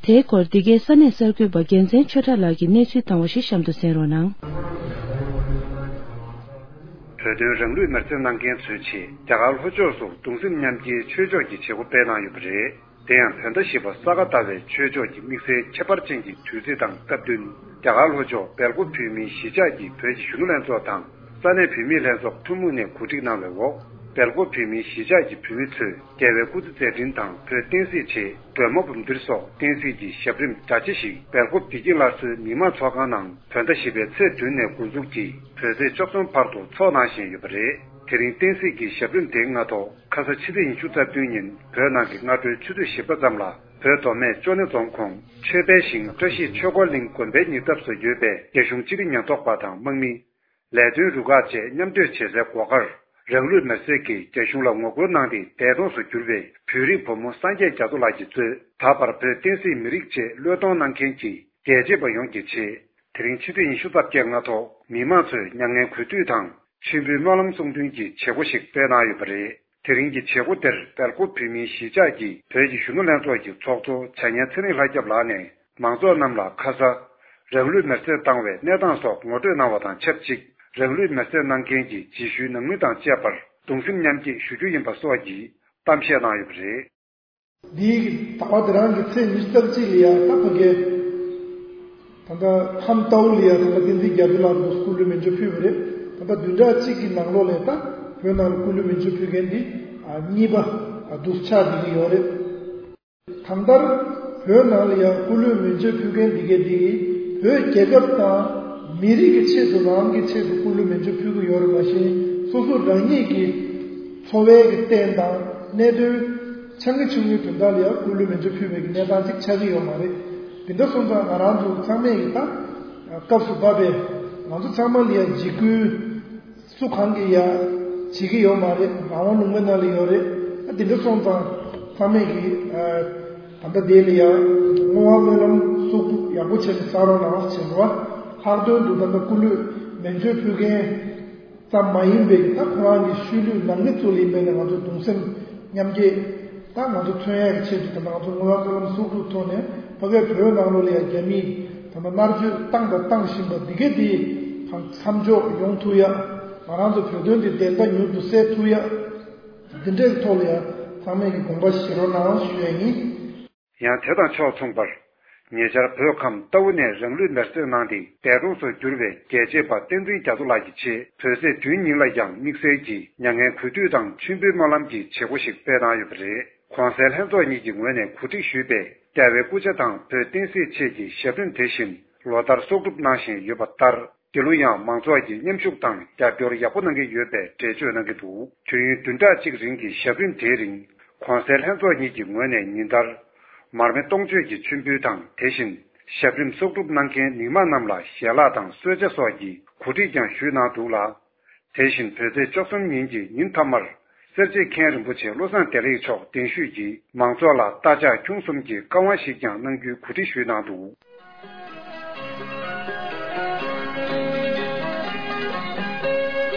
དེའི་སྐོར་འདི་གའི་ས་གནས་གསར་འགོད་པ་རྒྱལ་མཚན་ཆོས་གྲགས་ལགས་ཀྱིས་གནས་ཚུལ་བཏང་བ་ཞིག་གཤམ་དུ་གསན་རོགས་གནང་། བོད་དོན་རང་ལུས་མེར་སྲེག་གནང་མཁན་ཚོའི་ཆེད་རྒྱ་གར་ལྷོ་ཕྱོགས་སུ་གདུང་སེམས་མཉམ་སྐྱེའི་ཆོས་ཕྱོགས་ཀྱི་བྱེད་སྒོ་སྤེལ་གནང་ཡོད་པ་རེད། དེ་ཡང་བོད་ཟླ་བཞི་པ་ས་ག་ཟླ་བའི་ཆོས་ཕྱོགས་ཀྱི་དམིགས་བསལ་ཁྱད་པར་ཅན་གྱི་དུས་ཚིགས་དང་སྟབས་བསྟུན། རྒྱ་གར་ལྷོ་ཕྱོགས་སྦེལ་ཀོབ་བོད་མིའི་གཞིས་ཆགས་ཀྱི་བོད་ཀྱི་གཞོན་ནུ་ལྷན་ཚོགས་དང་ས་གནས་བོད་མིའི་ལྷན་ཚོགས་ཐུན་མོང་ནས་གོ་སྒྲིག་གནང་བའི་འོག་སྦེལ་ཀོབ་བོད་མིའི་གཞིས་ཆགས་ཀྱི་བོད་མི་ཚོས་རྒྱལ་བའི་སྐུ་ཚེ་མཛད་འཕྲིན་དང་བོད་བསྟན་སྲིད་ཆེད་སྒྲོལ་མ་འབུམ་ཐེར་སོགས་བསྟན་སྲིད་ཀྱི་ཞབས་རིམ་གྲ་ཆེ་ཞིག་སྦེལ་ཀོབ་བདེ་སྐྱིད་སླར་གསོའི་མི་དམངས་ཚོགས་ཁང་ནང་བོད་ཟླ་བཞི་པའི་ཚེས་བདུན་ནས་འགོ་འཛུགས་ཀྱིས་བོད་ཚེས་བཅུ་གསུམ་བར་དུ་འཚོགས་གནང་བཞིན་ཡོད་པ་རེད། དེ་རིང་བསྟན་སྲིད་ཀྱི་ཞབས་རིམ་དེའི་སྔ་ཐོག་ཁ་ས་ཕྱི་ཚེས་ཉི་ཤུ་རྩ་བདུན་ཉིན་བོད་ནང་གི་སྔ་དྲོའི་ཆུ་ཚོད་བཞི་པ་ཙམ་ལ་བོད་མདོ་སྨད་ཅོ་ནེ་རྫོང་ཁོངས་ཆོས་དཔལ་ཞིང་བཀྲ་ཤིས་ཆོས་འཁོར་གླིང་དགོན་པའི་ཉེ་འདབས་སུ་ཡོད་པའི་རྒྱ་གཞུང་སྤྱི་བདེ་ཉེན་རྟོག་པ་དང་དམག་མི། ལས་དོན་རུ་ཁག་བཅས་མཉམ་སྡོད་བྱེད་སའི་སྒོ་ཁར། རང་ལུས་མེར་སྲེག་གིས་རྒྱ་གཞུང་ལ་ངོ་རྒོལ་གནང་སྟེ་འདས་གྲོངས་སུ་གྱུར་པའི་བོད་རིགས་བུ་མོ་སངས་རྒྱས་རྒྱ་མཚོ་ལགས་ཀྱིས་གཙོས་ད་བར་བོད་བསྟན་སྲིད་མི་རིགས་ཆེད་བློས་གཏོང་གནང་མཁན་གྱི་རྒྱལ་གཅེས་པ་ཡོངས་ཀྱི་ཆེད། དེ་རིང་ཕྱི་ཚེས་ཉི་ཤུ་རྩ་བརྒྱད་སྔ་ཐོག་མི་མང་ཚོས་མྱ་ངན་གུས་འདུད་དང་མཆོད་འབུལ་སྨོན་ལམ་གསུང་འདོན་གྱི་བྱེད་སྒོ་ཞིག་སྤེལ་གནང་ཡོད་པ་རེད། དེ་རིང་གི་བྱེད་སྒོ་དེར་སྦེལ་ཀོབ་བོད་མིའི་གཞིས་ཆགས་ཀྱི་བོད་ཀྱི་གཞོན་ནུ་ལྷན་ཚོགས་ཀྱི་ཚོགས་གཙོ་བྱ་ཉན་ཚེ་རིང་ལྷ་སྐྱབས་ལགས་ནས་མང་ཚོགས་རྣམས་ལ་ཁ་ས་རང་ལུས་མེར་སྲེག་བཏང་བའི་གནས་སྟངས་སོགས་ངོ་སྤྲོད་གནང་བ་དང་ཆབས་ཅིག་རང་ལུས་མེར་སྲེག་གནང་མཁན་གྱི་རྗེས་ཤུལ་ནང་མི་དང་བཅས་པར་གདུང་སེམས་མཉམ་སྐྱེད་ཞུ་རྒྱུ་ཡིན་པ་སོགས་ཀྱི་གཏམ་བཤད་གནང་ཡོད་པ་རེད། འདིའི་ཟླ་བ་འདི་རང་གི་ཚེས་ཉི་ཤུ་རྩ་གཅིག་ལ་ཡང་ད་ཕ་གི་ད་ལྟ་ཁམས་རྟའུ་ལ་ཡང་ད་ལྟ་བསྟན་འཛིན་རྒྱ་མཚོ་ལགས་འདུག་སྐུ་ལུས་མེ་མཆོད་ཕུལ་བ་རེད། ད་ལྟ་བདུན་ཕྲག་གཅིག་གི་ནང་ལོགས་ལ་ད་བོད་ནང་ལ་སྐུ་ལུས་མེ་མཆོད་ཕུལ་མཁན་འདི་གཉིས་པ་འདུག་ཆགས་བསྡད་ཀྱི་ཡོད་རེད། གང་ལྟར་བོད་ནང་ལ་ཡང་སྐུ་ལུས་མེ་མཆོད་ཕུལ་མཁན་འདི་གས་འདི་བོད་རྒྱལ་ཁབ་དང་མི་རིགས་ཀྱི་ཆེད་དུ་རང་གི་ཆེད་དུ་སྐུ་ལུས་མེ་མཆོད་ཕུལ་གྱི་ཡོད་རེད། མ་གཞི་སོ་སོ་རང་ཉིད་ཀྱི་འཚོ་བའི་གི་རྟེན་དང་གནད་དོན་ཆང་གི་ཆུང་ངུའི་དོན་དག་ལ་ཡང་སྐུ་ལུས་མེ་མཆོད་ཕུལ་བའི་གི་གནས་སྟངས་ཅིག་ཆགས་ཀྱི་ཡོད་མ་རེད། དེ་འདྲ་སོང་ཙང་ང་རང་ཚོ་ཚང་མས་གི་ད་སྐབས་སུ་བབས་པའི་ང་ཚོ་ཚང་མ་ལ་ཡང་འཇིགས་སྐུལ་སུ་གང་གིས་ཡང་བྱེད་ཀྱི་ཡོད་མ་རེད། རང་དབང་ལུང་པའི་ནང་ལ་ཡོད་རེད། ཨ་དེ་འདྲ་སོང་ཙང་ཚང་མས་ཀྱིས་ཨ་ད་ལྟ་དེ་ལ་ཡང་བསྔོ་བ་སྨོན་ལམ་གསོག་སྒྲུབ་ཡག་པོ་བྱས་ནས་བསགས་རོགས་གནང་ཞེས་པ། ལྷག་དོན་དུ་ད་ལྟ་སྐུ་ལུས་མེ་མཆོད་ཕུལ་མཁན་ཙམ་མ་ཡིན་པའི་ད་ཁོ་རང་གི་ཤུལ་ལུས་ནང་མི་ཚོ་ལ་ཡིན་པས་ན་ང་ཚོ་གདུང་སེམས་མཉམ་སྐྱེད་ད་ང་ཚོ་མཚོན་ཡག་གི་ཆེད་དུ་ད་ལྟ་ང་ཚོ་བསྔོ་བ་སྨོན་ལམ་གསོག་སྒྲུབ་ཐོག་ནས་ཕ་གིའི་བོད་ནང་ལོགས་ལ་ཡང་རྒྱ་མིས་ད་ལྟ་མནར་གཅོད་བཏང་དང་བཏང་བཞིན་པ་འདི་གས་འདི་མཚམས་འཇོག་ཡོང་ཐུབ་ཡ། ང་རང་ཚོ་བོད་དོན་འདི་བདེན་མཐའ་མྱུར་དུ་གསལ་ཐུབ་ཡ། འདི་འདྲའི་ཐོག་ལ་ཡང་ཚང་མས་ཀྱི་དགོངས་པ་བཞེས་རོགས་གནང་ཞུ་ཡ་ཡིན། ཡང་དེ་དང་ཕྱོགས་མཚུངས་པར། ཉེ་ཆར་བོད་ཁམས་རྟའུ་ནས་རང་ལུས་མེར་སྲེག་གནང་སྟེ་འདས་གྲོངས་སུ་གྱུར་བའི་རྒྱལ་གཅེས་པ་བསྟན་འཛིན་རྒྱ་མཚོ་ལགས་ཀྱི་ཆེད་བོད་ཚེས་བདུན་ཉིན་ལ་ཡང་དམིགས་བསལ་གྱི་མྱ་ངན་གུས་འདུད་དང་མཆོད་འབུལ་སྨོན་ལམ་གྱི་བྱེད་སྒོ་ཞིག་སྤེལ་གནང་ཡོད་པ་རེད། གོང་གསལ་ལྷན་ཚོགས་གཉིས་ཀྱི་ངོས་ནས་གོ་སྒྲིག་ཞུས་པའི་རྒྱལ་བའི་སྐུ་ཕྱྭ་དང་བོད་བསྟན་སྲིད་ཆེད་ཀྱི་ཞབས་རིམ་དེ་བཞིན་ལོ་ལྟར་གསོག་སྒྲུབ་གནང་བཞིན་ཡོད་པ་ལྟར། འདི་ལོ་ཡང་མང་ཚོགས་ཀྱིས་མཉམ་ཞུགས་དང་རྒྱབ་སྐྱོར་ཡག་པོ་གནང་གི་ཡོད་པའི་འགྲེལ་བརྗོད་གནང་གི་འདུག་མཆོད་ཡོན་བདུན་ཕྲག་གཅིག་རིང་གི་ཞབས་རིམ་དེའི་རིང་། གོང་གསལ་ལྷན་ཚོགས་གཉིས་ཀྱི་ངོས་ནས་ཉིན་ལྟར། མར་མེ་སྟོང་མཆོད་ཀྱི་མཆོད་འབུལ་དང་། དེ་བཞིན། ཞབས་རིམ་གསོག་སྒྲུབ་གནང་མཁན་མི་མང་རྣམས་ལ་ཞལ་ལག་དང་གསོལ་ཇ་སོགས་ཀྱི་གོ་སྒྲིག་ཀྱང་ཞུས་གནང་འདུག་ལ། དེ་བཞིན་བོད་ཚེས་བཅུ་གསུམ་ཉིན་གྱི་ཉིན་མཐའ་མར། སེར་བྱེས་མཁན་རིན་པོ་ཆེ་བློ་བཟང་བདེ་ལེགས་མཆོག་གདན་ཞུས་ཀྱིས་མང་ཚོགས་ལ་རྟ་ལྕག་ཁྱུང་གསུམ་གྱི་བཀའ་དབང་ཞིག་ཀྱང་གནང་རྒྱུའི་གོ་སྒྲིག་ཞུས་གནང་འདུག་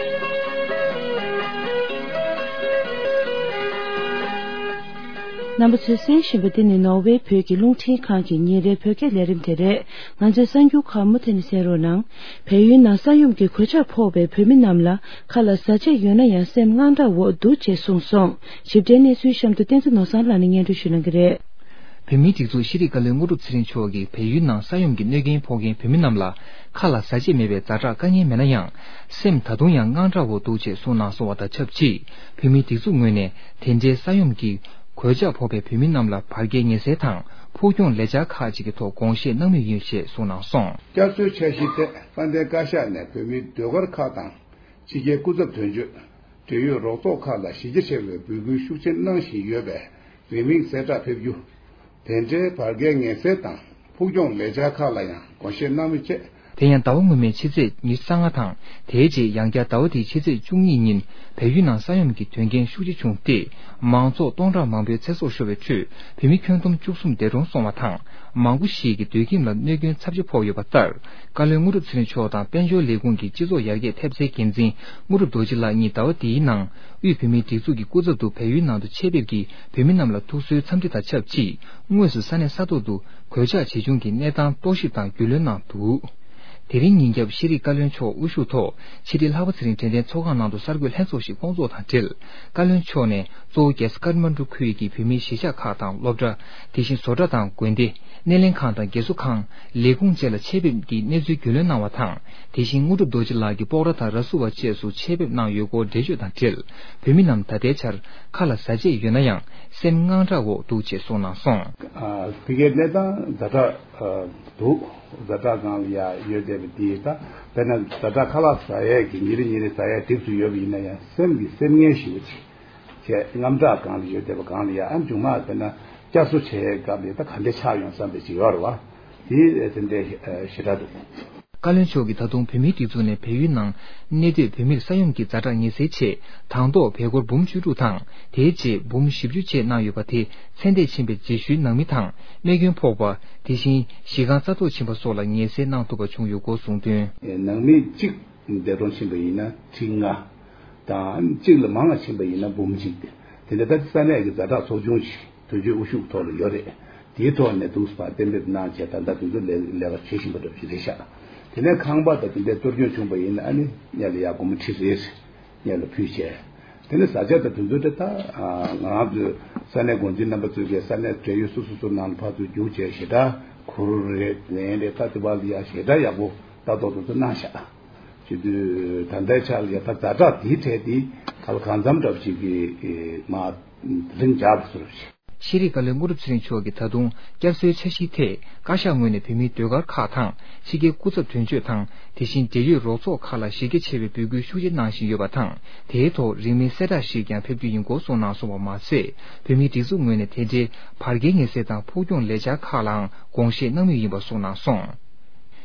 རྣམ་པ་ཚོས་གསན་བཞིན་པ་འདི་ནི་ནོར་ཝེ་བོད་ཀྱི་རླུང་འཕྲིན་ཁང་གི་ཉིན་རེའི་བོད་སྐད་ལས་རིམ་དེ་རེད། ང་ཚོའི་གསར་འགྱུར་ཁག་མུ་མཐུད་ནས་གསན་རོགས་གནང་། བལ་ཡུལ་ནང་ས་ཡོམ་གྱི་གོད་ཆག་ཕོག་པའི་བོད་མི་རྣམས་ལ་ཁ་ལག་བཟའ་ཆས་ཡོད་ན་ཡང་སེམས་དངངས་སྐྲག་འོག་འདུག་ཅེས་གསུངས་སོང་། ཞིབ་ཕྲའི་གནས་ཚུལ་གཤམ་དུ་བསྟན་འཛིན་ནོར་བཟང་ལགས་ནས་སྙན་སྒྲོན་ཞུ་གནང་གི་རེད། བོད་མིའི་སྒྲིག་འཛུགས་ཤེས་རིག་བཀའ་བློན་དངོས་གྲུབ་ཚེ་རིང་མཆོག་གིས་བལ་ཡུལ་ནང་ས་ཡོམ་གྱི་གནོད་རྐྱེན་ཕོག་མཁན་བོད་མི་རྣམས་ལ་ཁ་ལ་བཟའ་ཆས་མེད་པའི་ཛ་དྲག་དཀའ་ངལ་མེད་ན་ཡང་། སེམས་ད་དུང་ཡང་དངངས་སྐྲག་འོག་འདུག་ཅེས་གསུངས་གནང་སོང་བ་དང་ཆབས་ཅིག་བོད་མིའི་སྒྲིག་འཛུགས་ངོས་ནས་དེ་འདྲའི་ས་ཡོམ་གྱི་གོད་ཆག་ཕོག་པའི་བོད་མི་རྣམས་ལ་བར་བརྒལ་ངལ་སེལ་དང་འཕྲོག་བཅོམ་ལས་འཆར་ཁག་ཅིག་གི་ཐོག་དགོངས་བཞེས་གནང་མུས་ཡིན་ཞེས་གསུངས་གནང་སོང་། བསྐྱར་གསོའི་འཆར་གཞི་ཐད་དཔལ་ལྡན་བཀའ་ཤག་ནས་བོད་མིའི་ཟློས་གར་ཁག་དང་། ཕྱི་རྒྱལ་སྐུ་ཚབ་དོན་གཅོད། འབྲེལ་ཡོད་རོགས་ཚོགས་ཁག་ལ་གཞི་རྒྱ་ཆེ་བའི་འབོད་སྐུལ་ཤུགས་ཆེན་གནང་བཞིན་ཡོད་པས་རིང་མིན་གསལ་བསྒྲགས་ཕེབས་རྒྱུ། དེ་འབྲེལ་བར་བརྒལ་ངལ་སེལ་དང་འཕྲོག་བཅོམ་ལས་འཆར་ཁག་ལ་ཡང་དགོངས་བཞེས་གནང་མུས་བཅས། དེ་ཡང་ཟླ་བ་སྔོན་མའི་ཕྱི་ཚེས་ཉི་ཤུ་རྩ་ལྔ་དང་། དེའི་རྗེས་ཡང་བསྐྱར་ཟླ་བ་འདིའི་ཕྱི་ཚེས་བཅུ་གཉིས་ཉིན་བལ་ཡུལ་ནང་ས་ཡོམ་གྱི་དོན་རྐྱེན་ཤུགས་ཆེ་བྱུང་སྟེ། མང་ཚོགས་སྟོང་ཕྲག་མང་པོའི་ཚེ་སྲོག་ཤོར་བའི་ཁྲོད་བོད་མི་ཁྱོན་བསྡོམས་བཅུ་གསུམ་འདས་གྲོངས་སོང་བ་དང་། མང་པོ་ཞིག་གི་སྡོད་ཁྱིམ་ལ་གནོད་སྐྱོན་ཚབས་ཆེ་ཕོག་ཡོད་པ་ལྟར། བཀའ་བློན་དངོས་གྲུབ་ཚེ་རིང་མཆོག་དང་དཔལ་འབྱོར་ལས་ཁུངས་ཀྱི་སྤྱི་ཚོགས་ཡར་རྒྱས་ཐེབས་རྩའི་འགན་འཛིན་དངོས་གྲུབ་རྡོ་རྗེ་ལགས་གཉིས་ཟླ་བ་འདིའི་ནང་དབུས་བོད་མིའི་སྒྲིག་འཛུགས་ཀྱི་སྐུ་ཚབ་ཏུ་བལ་ཡུལ་ནང་དུ་ཆེད་ཕེབས་ཀྱིས་བོད་མི་རྣམས་ལ་ཐུགས་གསོའི་འཚམས་འདྲི་དང་ཆབས་ཅིག་དངོས་སུ་ས་གནས་ས་ཐོག་ཏུ་གོད་ཆག་ཇི་བྱུང་གི་གནས་སྟངས་རྟོག་ཞིབ་དང་རྒྱུས་ལོན་གནང་འདུག་དེ་རིང་ཉིན་རྒྱབ་ཤེས་རིག་བཀའ་བློན་མཆོག་དབུ་བཞུགས་ཐོག་ཕྱི་དྲིལ་ལྷག་པ་ཚེ་རིང་དྲན་རྟེན་ཚོགས་ཁང་ནང་དུ་གསར་འགོད་ལྷན་ཚོགས་ཤིག་བསྐོང་ཚོགས་དང་འབྲེལ། བཀའ་བློན་མཆོག་ནས་གཙོ་བོ་རྒྱལ་ས་ཀཏ་མན་ཌུ་ཁུལ་གྱི་བོད་མིའི་གཞིས་ཆགས་ཁག་དང་སློབ་གྲྭ། དེ་བཞིན་བཟོ་གྲྭ་དང་དགོན་སྡེ། སྣེ་ལེན་ཁང་དང་རྒས་གསོ་ཁང་། ལས་ཁུངས་བཅས་ལ་ཆེད་ཕེབས་ཀྱིས་གནས་ཚུལ་རྒྱུས་ལོན་གནང་བ་དང་། དེ་བཞིན་དངོས་གྲུབ་རྡོ་རྗེ་ལགས་ཀྱིས་སྤོག་ར་དང་ར་སུ་བ་བཅས་སུ་ཆེད་ཕེབས་གནང་ཡོད་སྐོར་འགྲེལ་བརྗོད་དང་འབྲེལ། བོད་མི་རྣམས་ད་ལྟའི་ཆར་ཁ་ལ་བཟའ་ཆས་ཡོད་ན་ཡང་སེམས་དངངས་སྐྲག་འོག་འདུག་ཅེས་གསུངས་གནང་སོང་། ཨ། ཕ་གིའི་གནས་སྟངས་ཛ་དྲག་ཨ་འདུག་ཛ་དྲག་སྒང་ལ་ཡ་ཡོད་བསྡད་པ་འདི་ད་དཔེར་ན་ཛ་དྲག་ཁ་ལག་ཟ་ཡས་ཀྱི་ཉིན་རེ་ཉིན་རེ་ཟ་ཡས་གྲིབ་ཏུ་ཡོད་པ་ཡིན་ན་ཡང་སེམས་ཀྱི་སེམས་ངལ་ཞེ་པོ་ཅིག་བྱས་དངངས་སྐྲག་སྒང་ལ་ཡོད་བསྡད་པ་སྒང་ལ་ཡ་ཨ་མཇུག་མ་དཔེར་ན་བསྐྱར་གསོ་བྱེད་ཡས་སྐབས་ལ་ད་ག་འདྲས་ཆགས་ཡོང་བསམ་པའི་ཅིག་ཡོད་རེད་བ། དེ་དེ་འདྲས་ཞེ་དྲག་འདུག་བཀའ་བློན་མཆོག་གིས་ད་དུང་བོད་མིའི་སྒྲིག་འཛུགས་ནས་བལ་ཡུལ་ནང་གནས་སྡོད་བོད་མིར་ས་ཡོམ་གྱི་ཛ་དྲག་ངེས་སེལ་ཆེད་དང་ཐོག་བལ་སྒོར་འབུམ་བཅུ་དྲུག་དང་དེའི་རྗེས་འབུམ་བཞི་བཅུ་བཅས་གནང་ཡོད་པ་དེ་ཚད་ལྡན་ཕྱིན་པའི་རྗེས་ཤུལ་ནང་མི་དང་རྨས་སྐྱོན་ཕོག་པ། དེ་བཞིན་གཞི་རྐང་རྩ་གཏོར་ཕྱིན་པ་སོགས་ལ་ངེས་སེལ་གནང་ཐུབ་པ་བྱུང་ཡོད་སྐོར་གསུངས་དོན། ནང་མི་གཅིག་འདས་གྲོངས་ཕྱིན་པ་ཡིན་ན་ཁྲི་ལྔ་དང་གཅིག་ལས་མང་བ་ཕྱིན་པ་ཡིན་ན་འབུམ་གཅིག་སྟེ། དེ་འདྲ་ད་ས་གནས་ཀྱི་ཛ་དྲག་ཚོགས་ཆུང་ཞིག་དོན་གཅོད་དབུ་བཞུགས་ཐོག་ལ་ཡོད་རེད། དེའི་ཐོག་ནས་འདུག་སེ་གཏན་འབེབས་གནང་བྱས་ད་ལྟ་དུས་ཚོད་ལས་ལས་ཀ་བྱེད་བཞིན་པ་འདྲ་ཞིག་རེད་ཤག་དེ་ནས་ཁང་པ་དང་དེ་འདྲའི་གཏོར་སྐྱོན་བྱུང་པ་ཡིན་ན་ཨ་ནི་སྔོན་ལ་ཡར་སྒོར་མོ་ཁྲི་རེ་རེ་སྔོན་ལ་ཕུལ་བྱས། དེ་ནས་བཟའ་བཅའ་དང་དེ་ཚོ་དེ་ད་ང་རང་ཚོའི་ས་གནས་འགོ་འཛིན་རྣམ་པ་ཚོས་ཀྱི་ས་གནས་བགྲེས་ཡོད་སོ་སོ་སོ་ནང་ལ་ཕར་ཚུར་རྒྱུགས་བྱས་ཞེ་དྲག་གུར་རེ་ལེན་རེ་ད་དེ་བ་ལ་ཡ་ཞེ་དྲག་ཡག་པོ་ལྟ་རྟོག་དེ་ཚོ་གནང་ཤག་བྱེད་དུས་ད་ལྟའི་ཆར་ལ་ཡ་ད་ཛ་དྲག་དེའི་གྲས་དེ་ག་ལ་གང་འཚམ་འདྲ་བ་ཞིག་གི་མ་ལྷིང་འཇགས་པ་བཟོ་རོགས་བྱེད། ཤེས་རིག་བཀའ་བློན་དངོས་གྲུབ་ཚེ་རིང་མཆོག་གིས་ད་དུང་བསྐྱར་གསོའི་འཆར་གཞིའི་ཐད་བཀའ་ཤག་ངོས་ནས་བོད་མིའི་ཟློས་གར་ཁག་དང་ཕྱི་རྒྱལ་སྐུ་ཚབ་དོན་གཅོད་དང་དེ་བཞིན་འབྲེལ་ཡོད་རོགས་ཚོགས་ཁག་ལ་གཞི་རྒྱ་ཆེ་བའི་འབོད་སྐུལ་ཤུགས་ཆེ་གནང་བཞིན་ཡོད་པ་དང་། དེའི་ཐོག་རིང་མིན་གསལ་བསྒྲགས་ཤིག་ཀྱང་ཕེབས་རྒྱུ་ཡིན་སྐོར་གསུངས་གནང་སོང་བ་མ་ཟད། བོད་མིའི་སྒྲིག་འཛུགས་ངོས་ནས་དེ་འབྲེལ་བར་བརྒལ་ངེས་སེལ་དང་ཕུགས་རྒྱང་ལས་འཆར་ཁག་ལའང་དགོངས་བཞེས་གནང་མུས་ཡིན་པ་གསུངས་གནང་སོང་།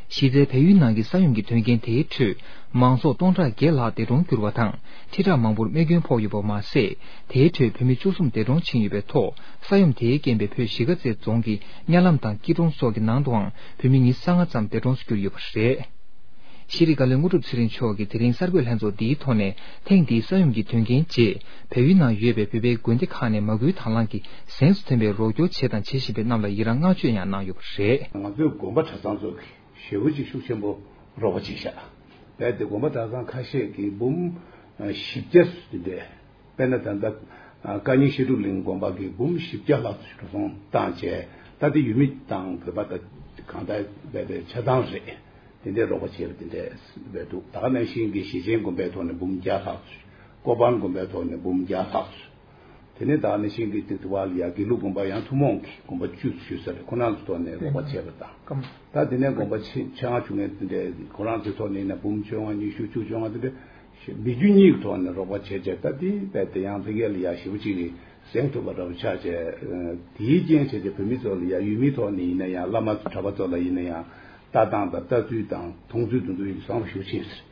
གཞི་རྩའི་བལ་ཡུལ་ནང་གི་ས་ཡོམ་གྱི་དོན་རྐྱེན་དེའི་ཁྲོད་མང་ཚོགས་སྟོང་ཕྲག་བརྒྱད་ལྷག་འདས་གྲོངས་གྱུར་བ་དང་ཁྲི་ཕྲག་མང་པོར་རྨས་སྐྱོན་ཕོག་ཡོད་པ་མ་ཟད། དེའི་ཁྲོད་བོད་མི་བཅུ་གསུམ་འདས་གྲོངས་ཕྱིན་ཡོད་པའི་ཐོག་ས་ཡོམ་དེའི་རྐྱེན་པས་བོད་གཞིས་ཀ་རྩེ་རྫོང་གི་གཉའ་ལམ་དང་སྐྱིད་གྲོང་སོགས་ཀྱི་ནང་དུའང་བོད་མི་ཉི་ཤུ་རྩ་ལྔ་ཙམ་འདས་གྲོངས་སུ་གྱུར་ཡོད་པ་རེད། ཤེས་རིག་བཀའ་བློན་དངོས་གྲུབ་ཚེ་རིང་མཆོག་གིས་དེ་རིང་གསར་འགོད་ལྷན་ཚོགས་འདིའི་ཐོག་ནས་ཐེངས་འདིའི་ས་ཡོམ་གྱི་དོན་རྐྱེན་རྗེས་བལ་ཡུལ་ནང་ཡོད་པའི་བོད་པའི་དགོན་སྡེ་ཁག་ནས་མ་སྐུལ་དང་བླངས་ཀྱིས་གཟེངས་སུ་ཐོན་པའི་རོགས་སྐྱོར་བྱས་དང་བྱེད་བཞིན་པའི་རྣམས་ལ་ཡི་རངས་བསྔགས་བརྗོད་ཡང་གནང་ཡོད་པ་རེད། ང་ཚོའི་དགོན་པ་གྲྭ་ཚང་ཚོ་གིས་ཞེ་པོ་ཅིག་ཤུགས་ཆེན་པོ་རོགས་པ་བྱས་ཤག་རྦད་དེ་དགོན་པ་གྲྭ་ཚང་ཁ་ཤས་ཀྱིས་འབུམ་བཞི་བརྒྱ་ཙམ་དེ་འདྲས། དཔེར་ན་ད་ལྟ་ཨ་བཀའ་རྙིང་བཤད་སྒྲུབ་གླིང་དགོན་པ་གིས་འབུམ་བཞི་བརྒྱ་ལྷག་ཙམ་འགྲོ་སོང་བཏང་བྱས། ད་དེ་ཡུལ་མི་དང་བོད་པ་དང་གང་ལྟར་རྦད་དེ་ཆ་ཚང་རེད། དེ་འདྲའི་རོགས་པ་བྱས་པ་དེ་འདྲས་རྦད་འདུག་ད་ག་ནང་བཞིན་གྱི་ཞེ་ཆེན་དགོན་པའི་ཐོག་ནས་འབུམ་བརྒྱ་ལྷག་ཙམ། ཀོ་པན་དགོན་པའི་ཐོག་ནས་འབུམ་བརྒྱ་ལྷག་ཙམ། དེ་ནས་ད་ག་ནང་བཞིན་གྱི་དེ་དུ་བ་ལ་ཡ་དགེ་ལུགས་དགོན་པ་ཡང་ཐུན་མོང་གི་དགོན་པ་བཅུ་ཞུ་ས་རེད། ཁོ་རང་ཚོའི་ཐོག་ནས་རོགས་པ་བྱས་པ་དང་། ད་དེ་ནས་དགོན་པ་ཆེ་ཆེ་ལྔ་བཅུ་ལྔ་དེ་འདྲའི་ཁོ་རང་ཚོའི་ཐོག་ནས་ཡིན་ན་འབུམ་བཅོ་ལྔ་ཉི་ཤུ་བཅུ་བཅོ་ལྔ་དེ་འདྲ་སྦས་རྒྱུ་གཉིས་ཀྱི་ཐོག་ནས་རོགས་པ་བྱས་བྱས། ད་དེ་རྦད་དེ་ཡང་ཕ་གི་ལ་ཡ་ཞེ་པོ་ཅིག་གིས་གཟེངས་ཐུབ་པ་འདྲ་པོ་ཆགས་བྱས། དེའི་རྐྱེན་བྱས་ཏེ་བོད་མི་ཚོ་ལ་ཡ་ཡུལ་མིའི་ཐོག་ནས་ཡིན་ན་ཡང་བླ་མ་གྲྭ་པ་ཚོ་ལ་ཡིན་ན་ཡང་ལྟ་སྟངས་དང་ལྟ་ཚུལ་དང་མཐོང་ཚུལ་དེ་ཚོ་ཡིན་བཟང་པོ་ཞེ་པོ་ཕྱིན་ཟེར།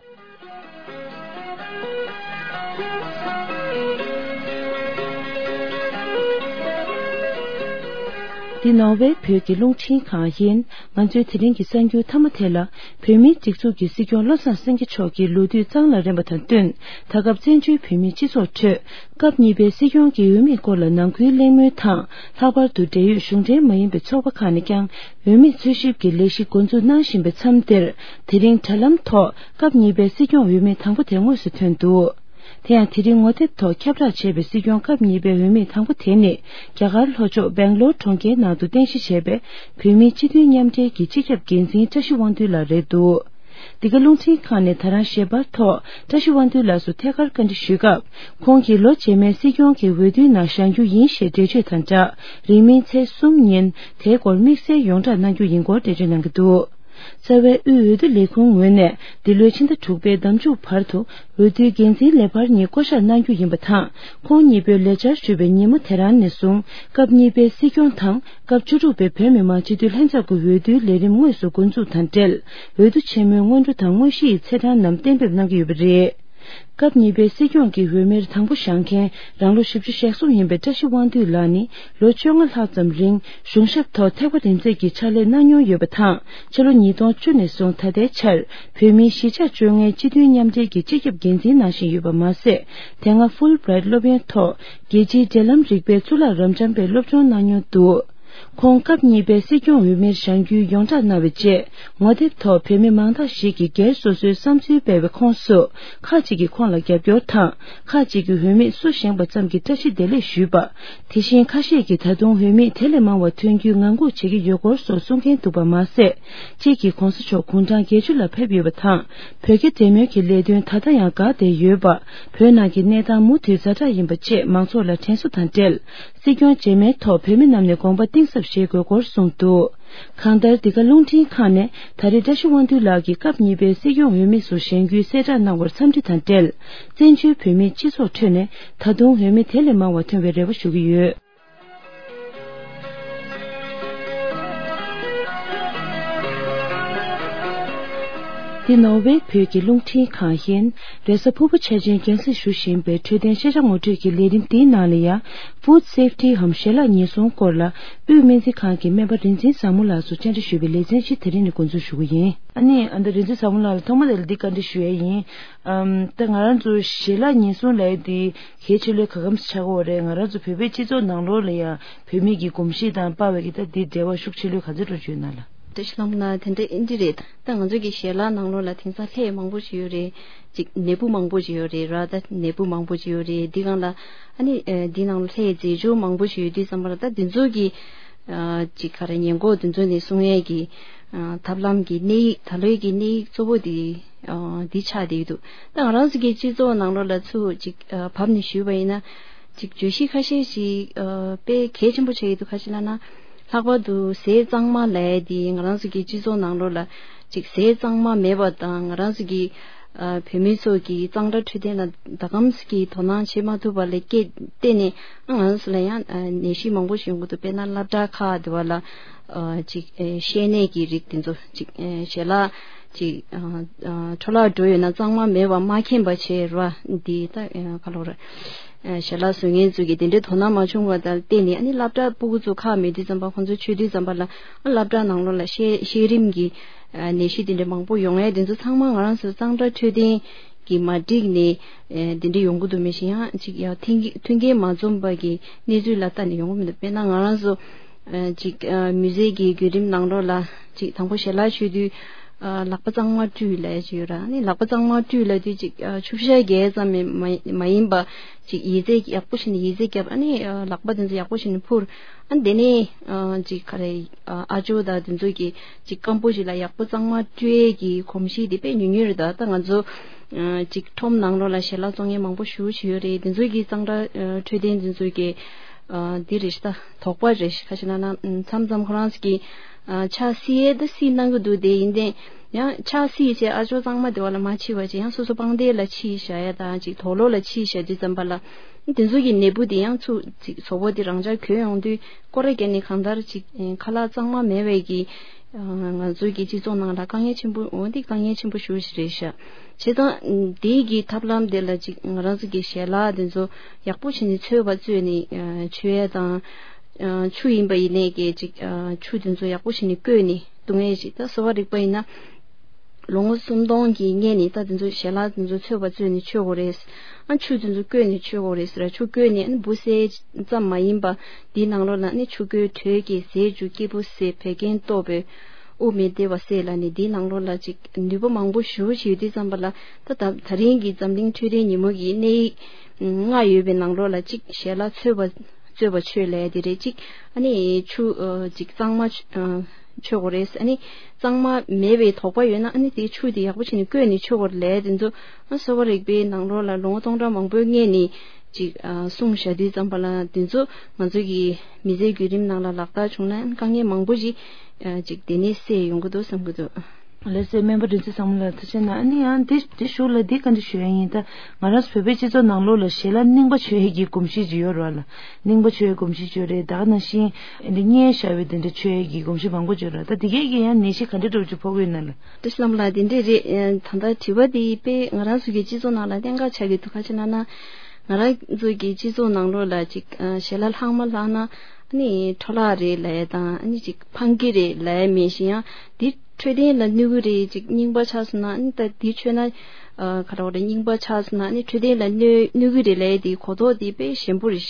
འདི་ནོར་ཝེ་བོད་ཀྱི་རླུང་འཕྲིན་ཁང་ཡིན། ང་ཚོའི་དེ་རིང་གི་གསར་འགྱུར་མཐའ་མ་དེ་ལ། བོད་མིའི་སྒྲིག་འཛུགས་ཀྱི་སྲིད་སྐྱོང་བློ་བཟང་སེང་གེ་མཆོག་གི་ལོ་དུས་གཙང་ལ་རན་པ་དང་བསྟུན། ད་སྐབས་བཙན་བྱོལ་བོད་མིའི་སྤྱི་ཚོགས་ཁྲོད། སྐབས་གཉིས་པའི་སྲིད་སྐྱོང་གི་འོས་མིའི་སྐོར་ལ་ནང་ཁུལ་གླེང་མོལ་དང་། ལྷག་པར་དུ་འབྲེལ་ཡོད་གཞུང་འབྲེལ་མ་ཡིན་པའི་ཚོགས་པ་ཁག་ནས་ཀྱང་འོས་མི་འཚོལ་ཞིབ་ཀྱི་ལས་གཞི་འགོ་འཛུགས་གནང་བཞིན་པའི་མཚམས་འདིར། དེ་རིང་དྲ་ལམ་ཐོག་སྐབས་གཉིས་པའི་སྲིད་སྐྱོང་འོས་མི་དང་པོ་དེ་དངོས་སུ་ཐོན་འདུག་དེ་ཡང་དེ་རིང་ངོ་དེབ་ཐོག་ཁྱབ་བསྒྲགས་བྱས་པའི་སྲིད་སྐྱོང་སྐབས་གཉིས་པའི་འོས་མི་དང་པོ་དེ་ནི་རྒྱ་གར་ལྷོ་ཕྱོགས་སྦེང་ལོར་གྲོང་ཁྱེར་ནང་དུ་རྟེན་གཞི་བྱས་པའི་བོད་མིའི་སྤྱི་མཐུན་མཉམ་འབྲེལ་གྱི་སྤྱི་ཁྱབ་འགན་འཛིན་བཀྲ་ཤིས་དབང་འདུས་ལགས་རེད་འདུག་འདི་ག་རླུང་འཕྲིན་ཁང་ནས་ད་རང་ཞལ་པར་ཐོག་བཀྲ་ཤིས་དབང་འདུས་ལགས་སུ་ཐད་ཀར་བཀའ་འདྲི་ཞུས་སྐབས། ཁོང་གིས་ལོ་རྗེས་མའི་སྲིད་སྐྱོང་གི་འོས་བསྡུའི་ནང་བཞེངས་རྒྱུ་ཡིན་ཞེས་འགྲེལ་བརྗོད་དང་སྦྲགས། རིང་མིན་ཚེས་གསུམ་ཉིན་དེའི་སྐོར་དམིགས་བསལ་ཡོངས་བསྒྲགས་གནང་རྒྱུ་ཡིན་སྐོར་འགྲེལ་བརྗོད་གནང་གི་འདུག་རྩ་བའི་དབུས་འོས་བསྡུ་ལས་ཁུངས་ངོས་ནས་འདི་ལོའི་ཕྱི་ཟླ་དྲུག་པའི་ཟླ་མཇུག་བར་དུ་འོས་བསྡུའི་འགན་འཛིན་ལས་འཕར་གཉིས་བསྐོ་གཞག་གནང་རྒྱུ་ཡིན་པ་དང་། ཁོང་གཉིས་པོས་ལས་བཅར་ཞུས་པའི་ཉིན་མོ་དེ་རང་ནས་བཟུང་སྐབས་གཉིས་པའི་སྲིད་སྐྱོང་དང་སྐབས་བཅུ་དྲུག་པའི་བོད་མི་མང་སྤྱི་འཐུས་ལྷན་ཚོགས་ཀྱི་འོས་བསྡུའི་ལས་རིམ་དངོས་སུ་འགོ་འཛུགས་དང་འབྲེལ། འོས་བསྡུ་ཆེན་མོའི་སྔོན་འགྲོ་དང་དངོས་གཞི་ཡི་ཚེས་གྲངས་རྣམས་གཏན་འབེབས་གནང་གི་ཡོད་པ་རེད། སྐབས་གཉིས་པའི་སྲིད་སྐྱོང་གི་འོས་མིར་དང་པོ་བཞེངས་མཁན་རང་ལོ་བཞི་བཅུ་ཞེ་གསུམ་ཡིན་པའི་བཀྲ་ཤིས་དབང་འདུས་ལགས་ནི་ལོ་བཅོ་ལྔ་ལྷག་ཙམ་རིང་གཞུང་ཞབས་ཐོག་ཐེག་པ་རིམ་འཛེགས་ཀྱི་ཕྱག་ལས་གནང་མྱོང་ཡོད་པ་དང་། ཕྱི་ལོ་ཉིས་སྟོང་བཅུ་ནས་བཟུང་ད་ལྟའི་ཆར་བོད་མིའི་གཞིས་ཆགས་བཅོ་ལྔའི་སྤྱི་མཐུན་མཉམ་འབྲེལ་གྱི་སྤྱི་ཁྱབ་འགན་འཛིན་གནང་བཞིན་ཡོད་པ་མ་ཟད། དེ་སྔ་ཧྥུལ་བྷི་རའེཊ་སློབ་ཡོན་ཐོག་རྒྱལ་སྤྱིའི་འབྲེལ་ལམ་རིག་པའི་གཙུག་ལག་རབ་འབྱམས་པའི་སློབ་སྦྱོང་གནང་མྱོང་འདུག་ཁོང་སྐབས་གཉིས་པའི་སྲིད་སྐྱོང་འོས་མིར་བཞེངས་རྒྱུའི་ཡོངས་བསྒྲགས་གནང་བའི་རྗེས། ངོ་དེབ་ཐོག་བོད་མི་མང་དག་ཞིག་གིས་སྒེར་སོ་སོའི་བསམ་ཚུལ་སྤེལ་བའི་ཁོངས་སུ། ཁག་ཅིག་གིས་ཁོང་ལ་རྒྱབ་སྐྱོར་དང་། ཁག་ཅིག་གིས་འོས་མི་སུ་བཞེངས་པ་ཙམ་གྱིས་བཀྲ་ཤིས་བདེ་ལེགས་ཞུས་པ། དེ་བཞིན་ཁ་ཤས་ཀྱིས་ད་དུང་འོས་མི་དེ་ལས་མང་བ་ཐོན་རྒྱུའི་ངང་སྒུག་བྱེད་ཀྱི་ཡོད་སྐོར་སོགས་གསུང་མཁན་འདུག་པ་མ་ཟད། གཅིག་གིས་གོང་ས་མཆོག་དགུང་གྲངས་བརྒྱད་ཅུ་ལ་ཕེབས་ཡོད་པ་དང་། བོད་རྒྱ་འབྲེལ་མོལ་གྱི་ལས་དོན་ད་ལྟ་ཡང་འགག་བསྡད་ཡོད་པ། བོད་ནང་གི་གནས་སྟངས་མུ་མཐུད་ཛ་དྲག་ཡིན་པ་བཅས་མང་ཚོགས་ལ་དྲན་གསོ་དང་འབྲེལ། སྲིད་སྐྱོང་རྗེས་མའི་ཐོག་བོད་མི་རྣམས་ནས་དགོངས་པ་གཏིང་ཟབ་བཞེས་དགོས་སྐོར་གསུངས་འདུག་གང་ལྟར་འདི་ག་རླུང་འཕྲིན་ཁང་ནས་ད་རེས་བཀྲ་ཤིས་དབང་འདུས་ལགས་ཀྱིས་སྐབས་གཉིས་པའི་སྲིད་སྐྱོང་འོས་མི་སུ་བཞེངས་རྒྱུའི་གསལ་བསྒྲགས་གནང་བར་འཚམས་འདྲི་དང་འབྲེལ། བཙན་བྱོལ་བོད་མིའི་སྤྱི་ཚོགས་ཁྲོད་ནས་ད་དུང་འོས་མི་དེ་ལས་མང་བ་ཐོན་པའི་རེ་བ་ཞུ་གི་ཡོད། འདི་ནོར་ཝེ་བོད་ཀྱི་རླུང་འཕྲིན་ཁང་ཡིན། རེས་གཟའ་ཕུར་བུ་འཆར་ཅན་རྒྱང་སྲིང་ཞུ་བཞིན་པའི་འཕྲོད་བསྟེན་ཤེས་བྱ་ངོ་སྤྲོད་ཀྱི་ལས་རིམ་འདིའི་ནང་ལ་ཡང་། Food Safety འམ་ཞལ་ལག་ཉེན་སྲུང་སྐོར་ལ་དབུས་སྨན་རྩིས་ཁང་གི་སྨན་པ་རིག་འཛིན་བཟང་མོ་ལགས་སུ་བཅར་འདྲི་ཞུས་པའི་ལེ་ཚན་ཞིག་དེ་རིང་ནས་འགོ་འཛུགས་ཞུ་གི་ཡིན། ཨ་ནི་ཨ་ད་རིག་འཛིན་བཟང་མོ་ལགས་ལ་ཐོག་མ་དེ་ལ་འདི་བཀའ་འདྲི་ཞུ་ཡས་ཡིན། ཨམ་ད་ང་རང་ཚོ་ཞལ་ལག་ཉེན་སྲུང་ལབ་ཡས་འདི་གལ་ཆེ་ལོས་ག་གམ་ཆགས་ཀྱི་ཡོད་རེད། ང་རང་ཚོ་བོད་པའི་སྤྱི་ཚོགས་ནང་ལོགས་ལ་ཡང་བོད་མི་གི་གོམས་གཤིས་དང་དཔའ་བོའི་གི་ད་འདི་འབྲེལ་བ་ཤུགས་ཆེ་ལོས་ག་ཚོད་འགྲོ་བཅུག་ན་ལ། བཀྲ་ཤིས་ལྷ་མོ་ལགས། དེ་འདྲ་ཨིན་ཇི་རེད། ད་ང་ཚོ་གི་ཞལ་ལག་ནང་ལོགས་ལ་དེང་སང་ལྷད་མང་པོ་ཞིག་ཡོད་རེད། ཅིག་ནད་འབུ་མང་པོ་ཞིག་ཡོད་རེད་ར། ད་ནད་འབུ་མང་པོ་ཞིག་ཡོད་རེད། འདི་སྒང་ལ་ཨ་ནི་ཨ་འདི་ནང་ལྷད་རྫས་སྦྱོར་མང་པོ་ཞིག་ཡོད་དུས་ཙམ་པ་ལ་ད་འདི་ཚོ་གི་ཨ་ཅིག་ག་རེ་ཉེན་འགོག་འདི་ཚོ་ནས་སྲུང་ཡས་ཀྱི་ཨ་ཐབས་ལམ་གྱི་གནས་ཡིག་ད་ལོའི་གི་གནས་ཡིག་གཙོ་བོ་འདི་ཨ་འདི་ཆགས་བསྡད་ཡོད་འདུག་ད་ང་རང་ཚོ་གི་སྤྱི་ཚོགས་ནང་ལོགས་ལ་ཚུར་ཅིག་ཨ་བབས་ནས་ཞུས་པ་ཡིན་ན། ཅིག་བརྗོད་གཞི་ཁ་ཤས་ཤིག་ཨ་དཔེ་གལ་ཆེན་པོ་ཆགས་ཡོད་འདུག་ཁ་ཤས་ལབ་ན། ལྷག་པར་དུ་ཟས་གཙང་མ་ལབ་ཡས་འདི་ང་རང་ཚོ་གི་སྤྱི་ཚོགས་ནང་ལོགས་ལ་ཅིག་ཟས་གཙང་མ་མེད་པ་དང་ང་རང་ཚོ་གི་ཨ་བོད་མི་ཚོ་གི་གཙང་སྦྲ་འཕྲོད་བསྟེན་ལ་ད་གམ་གི་དོ་སྣང་བྱེད་མ་ཐུབ་པ་ལ་བརྟེན་ནས་ང་རང་ཚོ་ལ་ཡང་ཨ་ནད་གཞི་མང་པོ་ཞིག་ཡོང་གི་འདུག་དཔེར་ན་སློབ་གྲྭ་ཁག་དེ་བ་ལ་ཨ་ཅིག་ཨ་བཤལ་ནད་ཀྱི་རིགས་དེ་ཚོ་ཅིག་ཨ་ཞལ་ལག་ཅིག་ཨ་ཨ་འཕྲོ་བརླག་འགྲོ་ཡོད་ན་གཙང་མ་མེད་པ་མ་མཁྱེན་པ་བྱས་ར། འདི་ད་ཨ་ག་ལོ་ར་ཨ་ཞལ་ལག་བཟོ་མཁན་ཚོ་གིས་དེ་འདྲའི་དོ་སྣང་མ་བྱུང་བ་དང་བརྟེན་ནས་ཨ་ནི་སློབ་གྲྭ་སྤུ་གུ་ཚོ་ཁག་མེད་དུས་ཙམ་པ་ཁོང་ཚོ་ཆོས་དུས་ཙམ་པ་ལ་ཨ་སློབ་གྲྭ་ནང་ལོགས་ལ་བཤལ་བཤལ་རིམ་གྱི་ཨ་ནད་གཞི་དེ་འདྲ་མང་པོ་ཡོང་ཡས་དེ་ཚོ་ཚང་མ་ང་རང་ཚོ་གཙང་སྦྲ་འཕྲོད་བསྟེན་གྱིས་མ་འགྲིག་ནས་ཨ་དེ་འདྲ་ཡོང་གི་འདུག་མི་ཤེས་ཡང་ཅིག་ཡང་མཐུན་རྐྱེན་མཐུན་རྐྱེན་མ་འཛོམས་པ་གི་གནས་ཚུལ་ལ་ལྟ་ནས་ཡོང་གི་མི་འདུག་དཔེར་ན་ང་རང་ཚོ་ཨ་ཅིག་ཨ་མི་ཚེ་གི་བརྒྱུད་རིམ་ནང་ལོགས་ལ་ཅིག་དང་པོ་ཞལ་ལག་མཆོད་དུས་ཨ་ལག་པ་གཙང་མ་བཀྲུས་ལབ་ཡས་ཅིག་ཡོད་ར། ཨ་ནི་ལག་པ་གཙང་མ་བཀྲུས་ལབ་དུས་ཅིག་ཨ་ཆུ་བཤལ་རྒྱག་ཙམ་མ་མ་ཡིན་པ་ཅིག་ཡི་ཙི་ཡག་པོ་བྱས་ནས་ཡི་ཙི་བརྒྱབ། ཨ་ནི་ཨ་ལག་པ་དེ་ཚོ་ཡག་པོ་བྱས་ནས་ཕུར། ཨ་ནི་དེ་ནས་ཨ་ཅིག་ག་རེ་ཨ་ཨ་ཅོ་དང་དེ་ཚོ་གིས་ཅིག་སྐམ་པོ་ཞིག་ལ་ཡག་པོ་གཙང་མ་བཀྲུ་ཡས་ཀྱི་གོམས་གཤིས་དེ་དཔེ་ཉུང་ཉུང་རེད། ད་ད་ང་ཚོ་ཨ་ཅིག་ཁྲོམ་ནང་ལོགས་ལ་ཞལ་ལག་བཙོང་མཁན་མང་པོ་ཞེ་པོ་ཅིག་ཡོད་རེད། དེ་ཚོ་གིས་གཙང་སྦྲ་ཨ་འཕྲོད་བསྟེན་དེ་ཚོ་གིས་ཨ་འདི་རེད་ཤག་ད་དོགས་པ་རེད་ཤག་ཁ་ཤས་ན་ན་མཚམས་མཚམས་ཁོ་རང་ཚོ་གིས་ཨ་ཕྱག་བསིལ་ཡས་ད་བསིལ་གནང་གི་འདུག་དེ་ཡིན་ཏེ་ཡང་ཕྱག་བསིལ་བྱས་ཨ་ཅོ་གཙང་མ་དེ་བ་ལ་མ་ཕྱིས་པ་ཅིག་ཡང་སོ་སོ་པང་གདན་ལ་ཕྱིས་བཞག་ཡས་དང་ཅིག་དུག་ལོག་ལ་ཕྱིས་བཞག་དུས་ཙམ་པ་ལ་དེ་ཚོ་གི་ནད་འབུ་དེ་ཡང་ཚུར་ཅིག་གཟུགས་པོ་དེ་རང་འཇགས་གྱོན་ཡོང་དུས་སྐོར་ར་བརྒྱབ་ནས་གང་ལྟར་ཅིག་ཁ་ལག་གཙང་མ་མེད་པའི་གི་ང་ཚོའི་གི་སྤྱི་ཚོགས་ནང་ལ་དཀའ་ངལ་ཆེན་པོ་འོ་འདི་དཀའ་ངལ་ཆེན་པོ་ཞེ་པོ་ཞིག་རེད་ཤག་བྱས་ཙང་དེའི་གི་ཐབས་ལམ་དེ་ལ་ཅིག་ང་རང་ཚོ་གི་ཞལ་ལག་དེ་ཚོ་ཡག་པོ་བྱས་ནས་ཚོས་པ་བཙོས་ནས་མཆོད་ཡས་དང་ཆུ་ཡིན་པ་ཡིན་ནའི་གི་ཅིག་ཆུ་དེ་ཚོ་ཡག་པོ་བྱས་ནས་བསྐོལ་ནས་བཏུང་ཡས་ཅིག་ད་གསོ་བ་རིག་པ་ཡིན་ན། ལོ་ངོ་སུམ་སྟོང་གི་སྔོན་ནས་ད་དེ་ཚོ་ཞལ་ལག་དེ་ཚོ་ཚོས་པ་བཙོས་ནས་མཆོད་དགོས་རེད། ཨ་ཆུ་དེ་ཚོ་བསྐོལ་ནས་མཆོད་དགོས་རེད་ཟེར། ཆུ་བསྐོལ་ནས་ཨ་འབུ་བསལ་ཙམ་མ་ཡིན་པ་འདིའི་ནང་ལོགས་ལ་ནི་ཆུ་ཁོལ་དྲོད་ཀྱི་ཟས་བཅུད་སྐྱེས་བུ་ཟས་བད་ཀན་ལྟོ་སྦོས་དབུགས་མི་བདེ་བ་སེལ་ལ་ནི་འདིའི་ནང་ལོགས་ལ་ཅིག་ནུས་པ་མང་པོ་ཞེ་པོ་ཅིག་ཡོད་དུས་ཙམ་པ་ལ་ད་ད་ད་རིང་གི་འཛམ་གླིང་འཕྲོད་བསྟེན་ཉིན་མོ་གི་གནས་ཡིག་ལྔ་ཡོད་པའི་ནང་ལོགས་ལ་ཅིག་ཞལ་ལག་ཚོས་པ་རྩོད་པ་ཆོས་ལས་དེ་རེད། གཅིག་ཨ་ནི་ཆུ་ཨ་གཅིག་གཙང་མ་ཆུ་ཨ་མཆོད་དགོས་རེད། ཨ་ནི་གཙང་མ་མེད་པའི་དོགས་པ་ཡོད་ན་ཨ་ནི་དེའི་ཆུ་དེ་ཡག་པོ་བྱས་ནས་བསྐོལ་ནས་མཆོད་དགོས་རེད་ལས་དེ་ཚོ་ཨ་གསོ་བ་རིག་པའི་ནང་ལོགས་ལ་ལོ་ངོ་སྟོང་ཕྲག་མང་པོའི་སྔོན་ནས་གཅིག་ཨ་གསུངས་བཞག་དུས་ཙམ་པ་ལ་དེ་ཚོ་ང་ཚོ་གི་མི་ཚེའི་བརྒྱུད་རིམ་ནང་ལ་ལག་བསྟར་བྱུང་ན་དཀའ་ངལ་མང་པོ་ཞིག་ཨ་གཅིག་དེ་ནས་སེལ་ཡོང་གི་འདུག་བསམ་གི་འདུག་ལགས་སོ། སྨན་པ་རིག་འཛིན་བཟང་མོ་ལགས་ཐུགས་རྗེ་གནང་། ཨ་ནི་ཡང་འདི་འདི་གཞུག་ལ་འདི་བཀའ་འདྲི་ཞུ་ཡ་ཡིན། ད་ང་རང་ཚོ་བོད་པའི་སྤྱི་ཚོགས་ནང་ལོགས་ལ་ཞལ་ལག་རྙིང་པ་མཆོད་ཡས་ཀྱི་གོམས་གཤིས་ཅིག་ཡོད་རེད་བ་ལ། རྙིང་པ་མཆོད་ཡས་གོམས་གཤིས་ཅིག་ཡོད་རེད། ད་ག་ནང་བཞིན་འདི་བསྙལ་བཞག་པའི་འདི་འདྲ་མཆོད་ཡས་ཀྱི་གོམས་གཤིས་མང་པོ་ཅིག་ཡོད་རེད། ད་འདི་གས་ཀྱི་ཡང་ནད་གཞི་ག་འདྲ་འདྲ་བོ་ཅིག་ཕོག་གི་ཡོད་ན་ལ། བཀྲ་ཤིས་ལྷ་མོ་ལགས་འདི་འདྲས་རེད། ད་ལྟ་དྲི་བ་འདི་དཔེ་ང་རང་ཚོ་གི་སྤྱི་ཚོགས་ནང་ལ་གནད་འགག་ཆགས་ཀྱི་འདུག་ག་ཅི་ལབ་ན། ང་རང་ཚོ་གི་སྤྱི་ཚོགས་ནང་ལོགས་ལ་ཅིག་ཨ་ཞལ་ལག་ལྷག་མ་ལྷག་ན་ཨ་ནི་འཕྲོ་བརླག་རེད་ལབ་ཡ་དང་ཨ་ནི་ཅིག་ཕངས་སྐྱེད་རེད་ལབ་ཡ་མེད་བཞིན་ཡང་འདི་འཕྲོད་བསྟེན་ལ་གནོད་གི་རེད། ཅིག་རྙིང་པ་ཆགས་སོང་ན་ཨ་ནི་ད་འདི་མཆོད་ན་ཨ་ག་རེ་རེད། རྙིང་པ་ཆགས་སོང་ན་ཨ་ནི་འཕྲོད་བསྟེན་ལ་གནོད་གནོད་གི་རེད་ལབ་ཡ་འདི་གོ་རྟོགས་འདི་དཔེ་ཞན་པོ་རེད།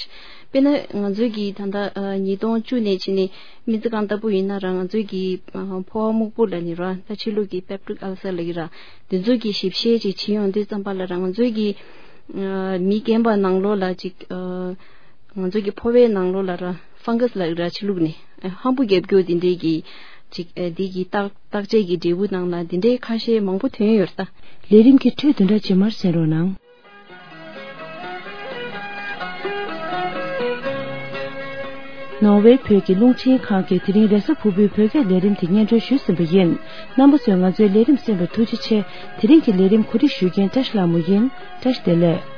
དཔེར་ན་ང་ཚོའི་གི་ད་ལྟ་ཨ་ཉིས་སྟོང་བཅུ་ནས་ཕྱིན་ནས་སྨན་རྩིས་ཁང་ལྟ་བུ་ཡིན་ན་ར་ང་ཚོའི་གི་ཨ་ཕོ་བ་སྨུག་པོ་ལབ་ནི་ར་ད་ཕྱི་ལུགས་ཀྱི་པེབ་ཊིག་ཨལ་སར་ལབ་ཀྱི་ར། དེ་ཚོ་གི་ཞིབ་བཤེར་ཅིག་བྱེད་ཡོང་དུས་ཙམ་པ་ལ་ར་ང་ཚོའི་གི་ཨ་མི་རྒན་པ་ནང་ལོགས་ལ་ཅིག་ཨ་ང་ཚོའི་གི་ཕོ་བའི་ནང་ལོགས་ལ་ར་ཕང་གྷ་སི་ལབ་ཀྱི་ར་ཕྱི་ལུགས་ནས་ཨ་ཧམ་བུ་རྒྱབ་རྒྱུ་དེ་འདྲའི་གི་ཅིག་ཨ་དེ་གི་བརྟག་བརྟག་དཔྱད་ཀྱི་འབྲས་བུ་ནང་ལ་དེ་འདྲའི་ཁ་ཤས་མང་པོ་ཐོན་ཡོད་རེད་ད། ལས་རིམ་གྱི་འཕྲོས་བདུན་ཕྲག་རྗེས་མར་གསན་རོགས་གནང་། ནོར་ཝེ་བོད་ཀྱི་རླུང་འཕྲིན་ཁང་གིས་དེ་རིང་རེས་གཟའ་ཕུར་བུའི་བོད་སྐད་ལས་རིམ་དེ་སྙན་སྒྲོན་ཞུས་ཟིན་པ་ཡིན། རྣམ་པ་ཚོས་ང་ཚོའི་ལས་རིམ་གསན་པར་ཐུགས་རྗེ་ཆེ། དེ་རིང་གི་ལས་རིམ་གོ་སྒྲིག་ཞུ་མཁན་བཀྲ་ཤིས་ལྷ་མོ་ཡིན། བཀྲ་ཤིས་བདེ་ལེགས།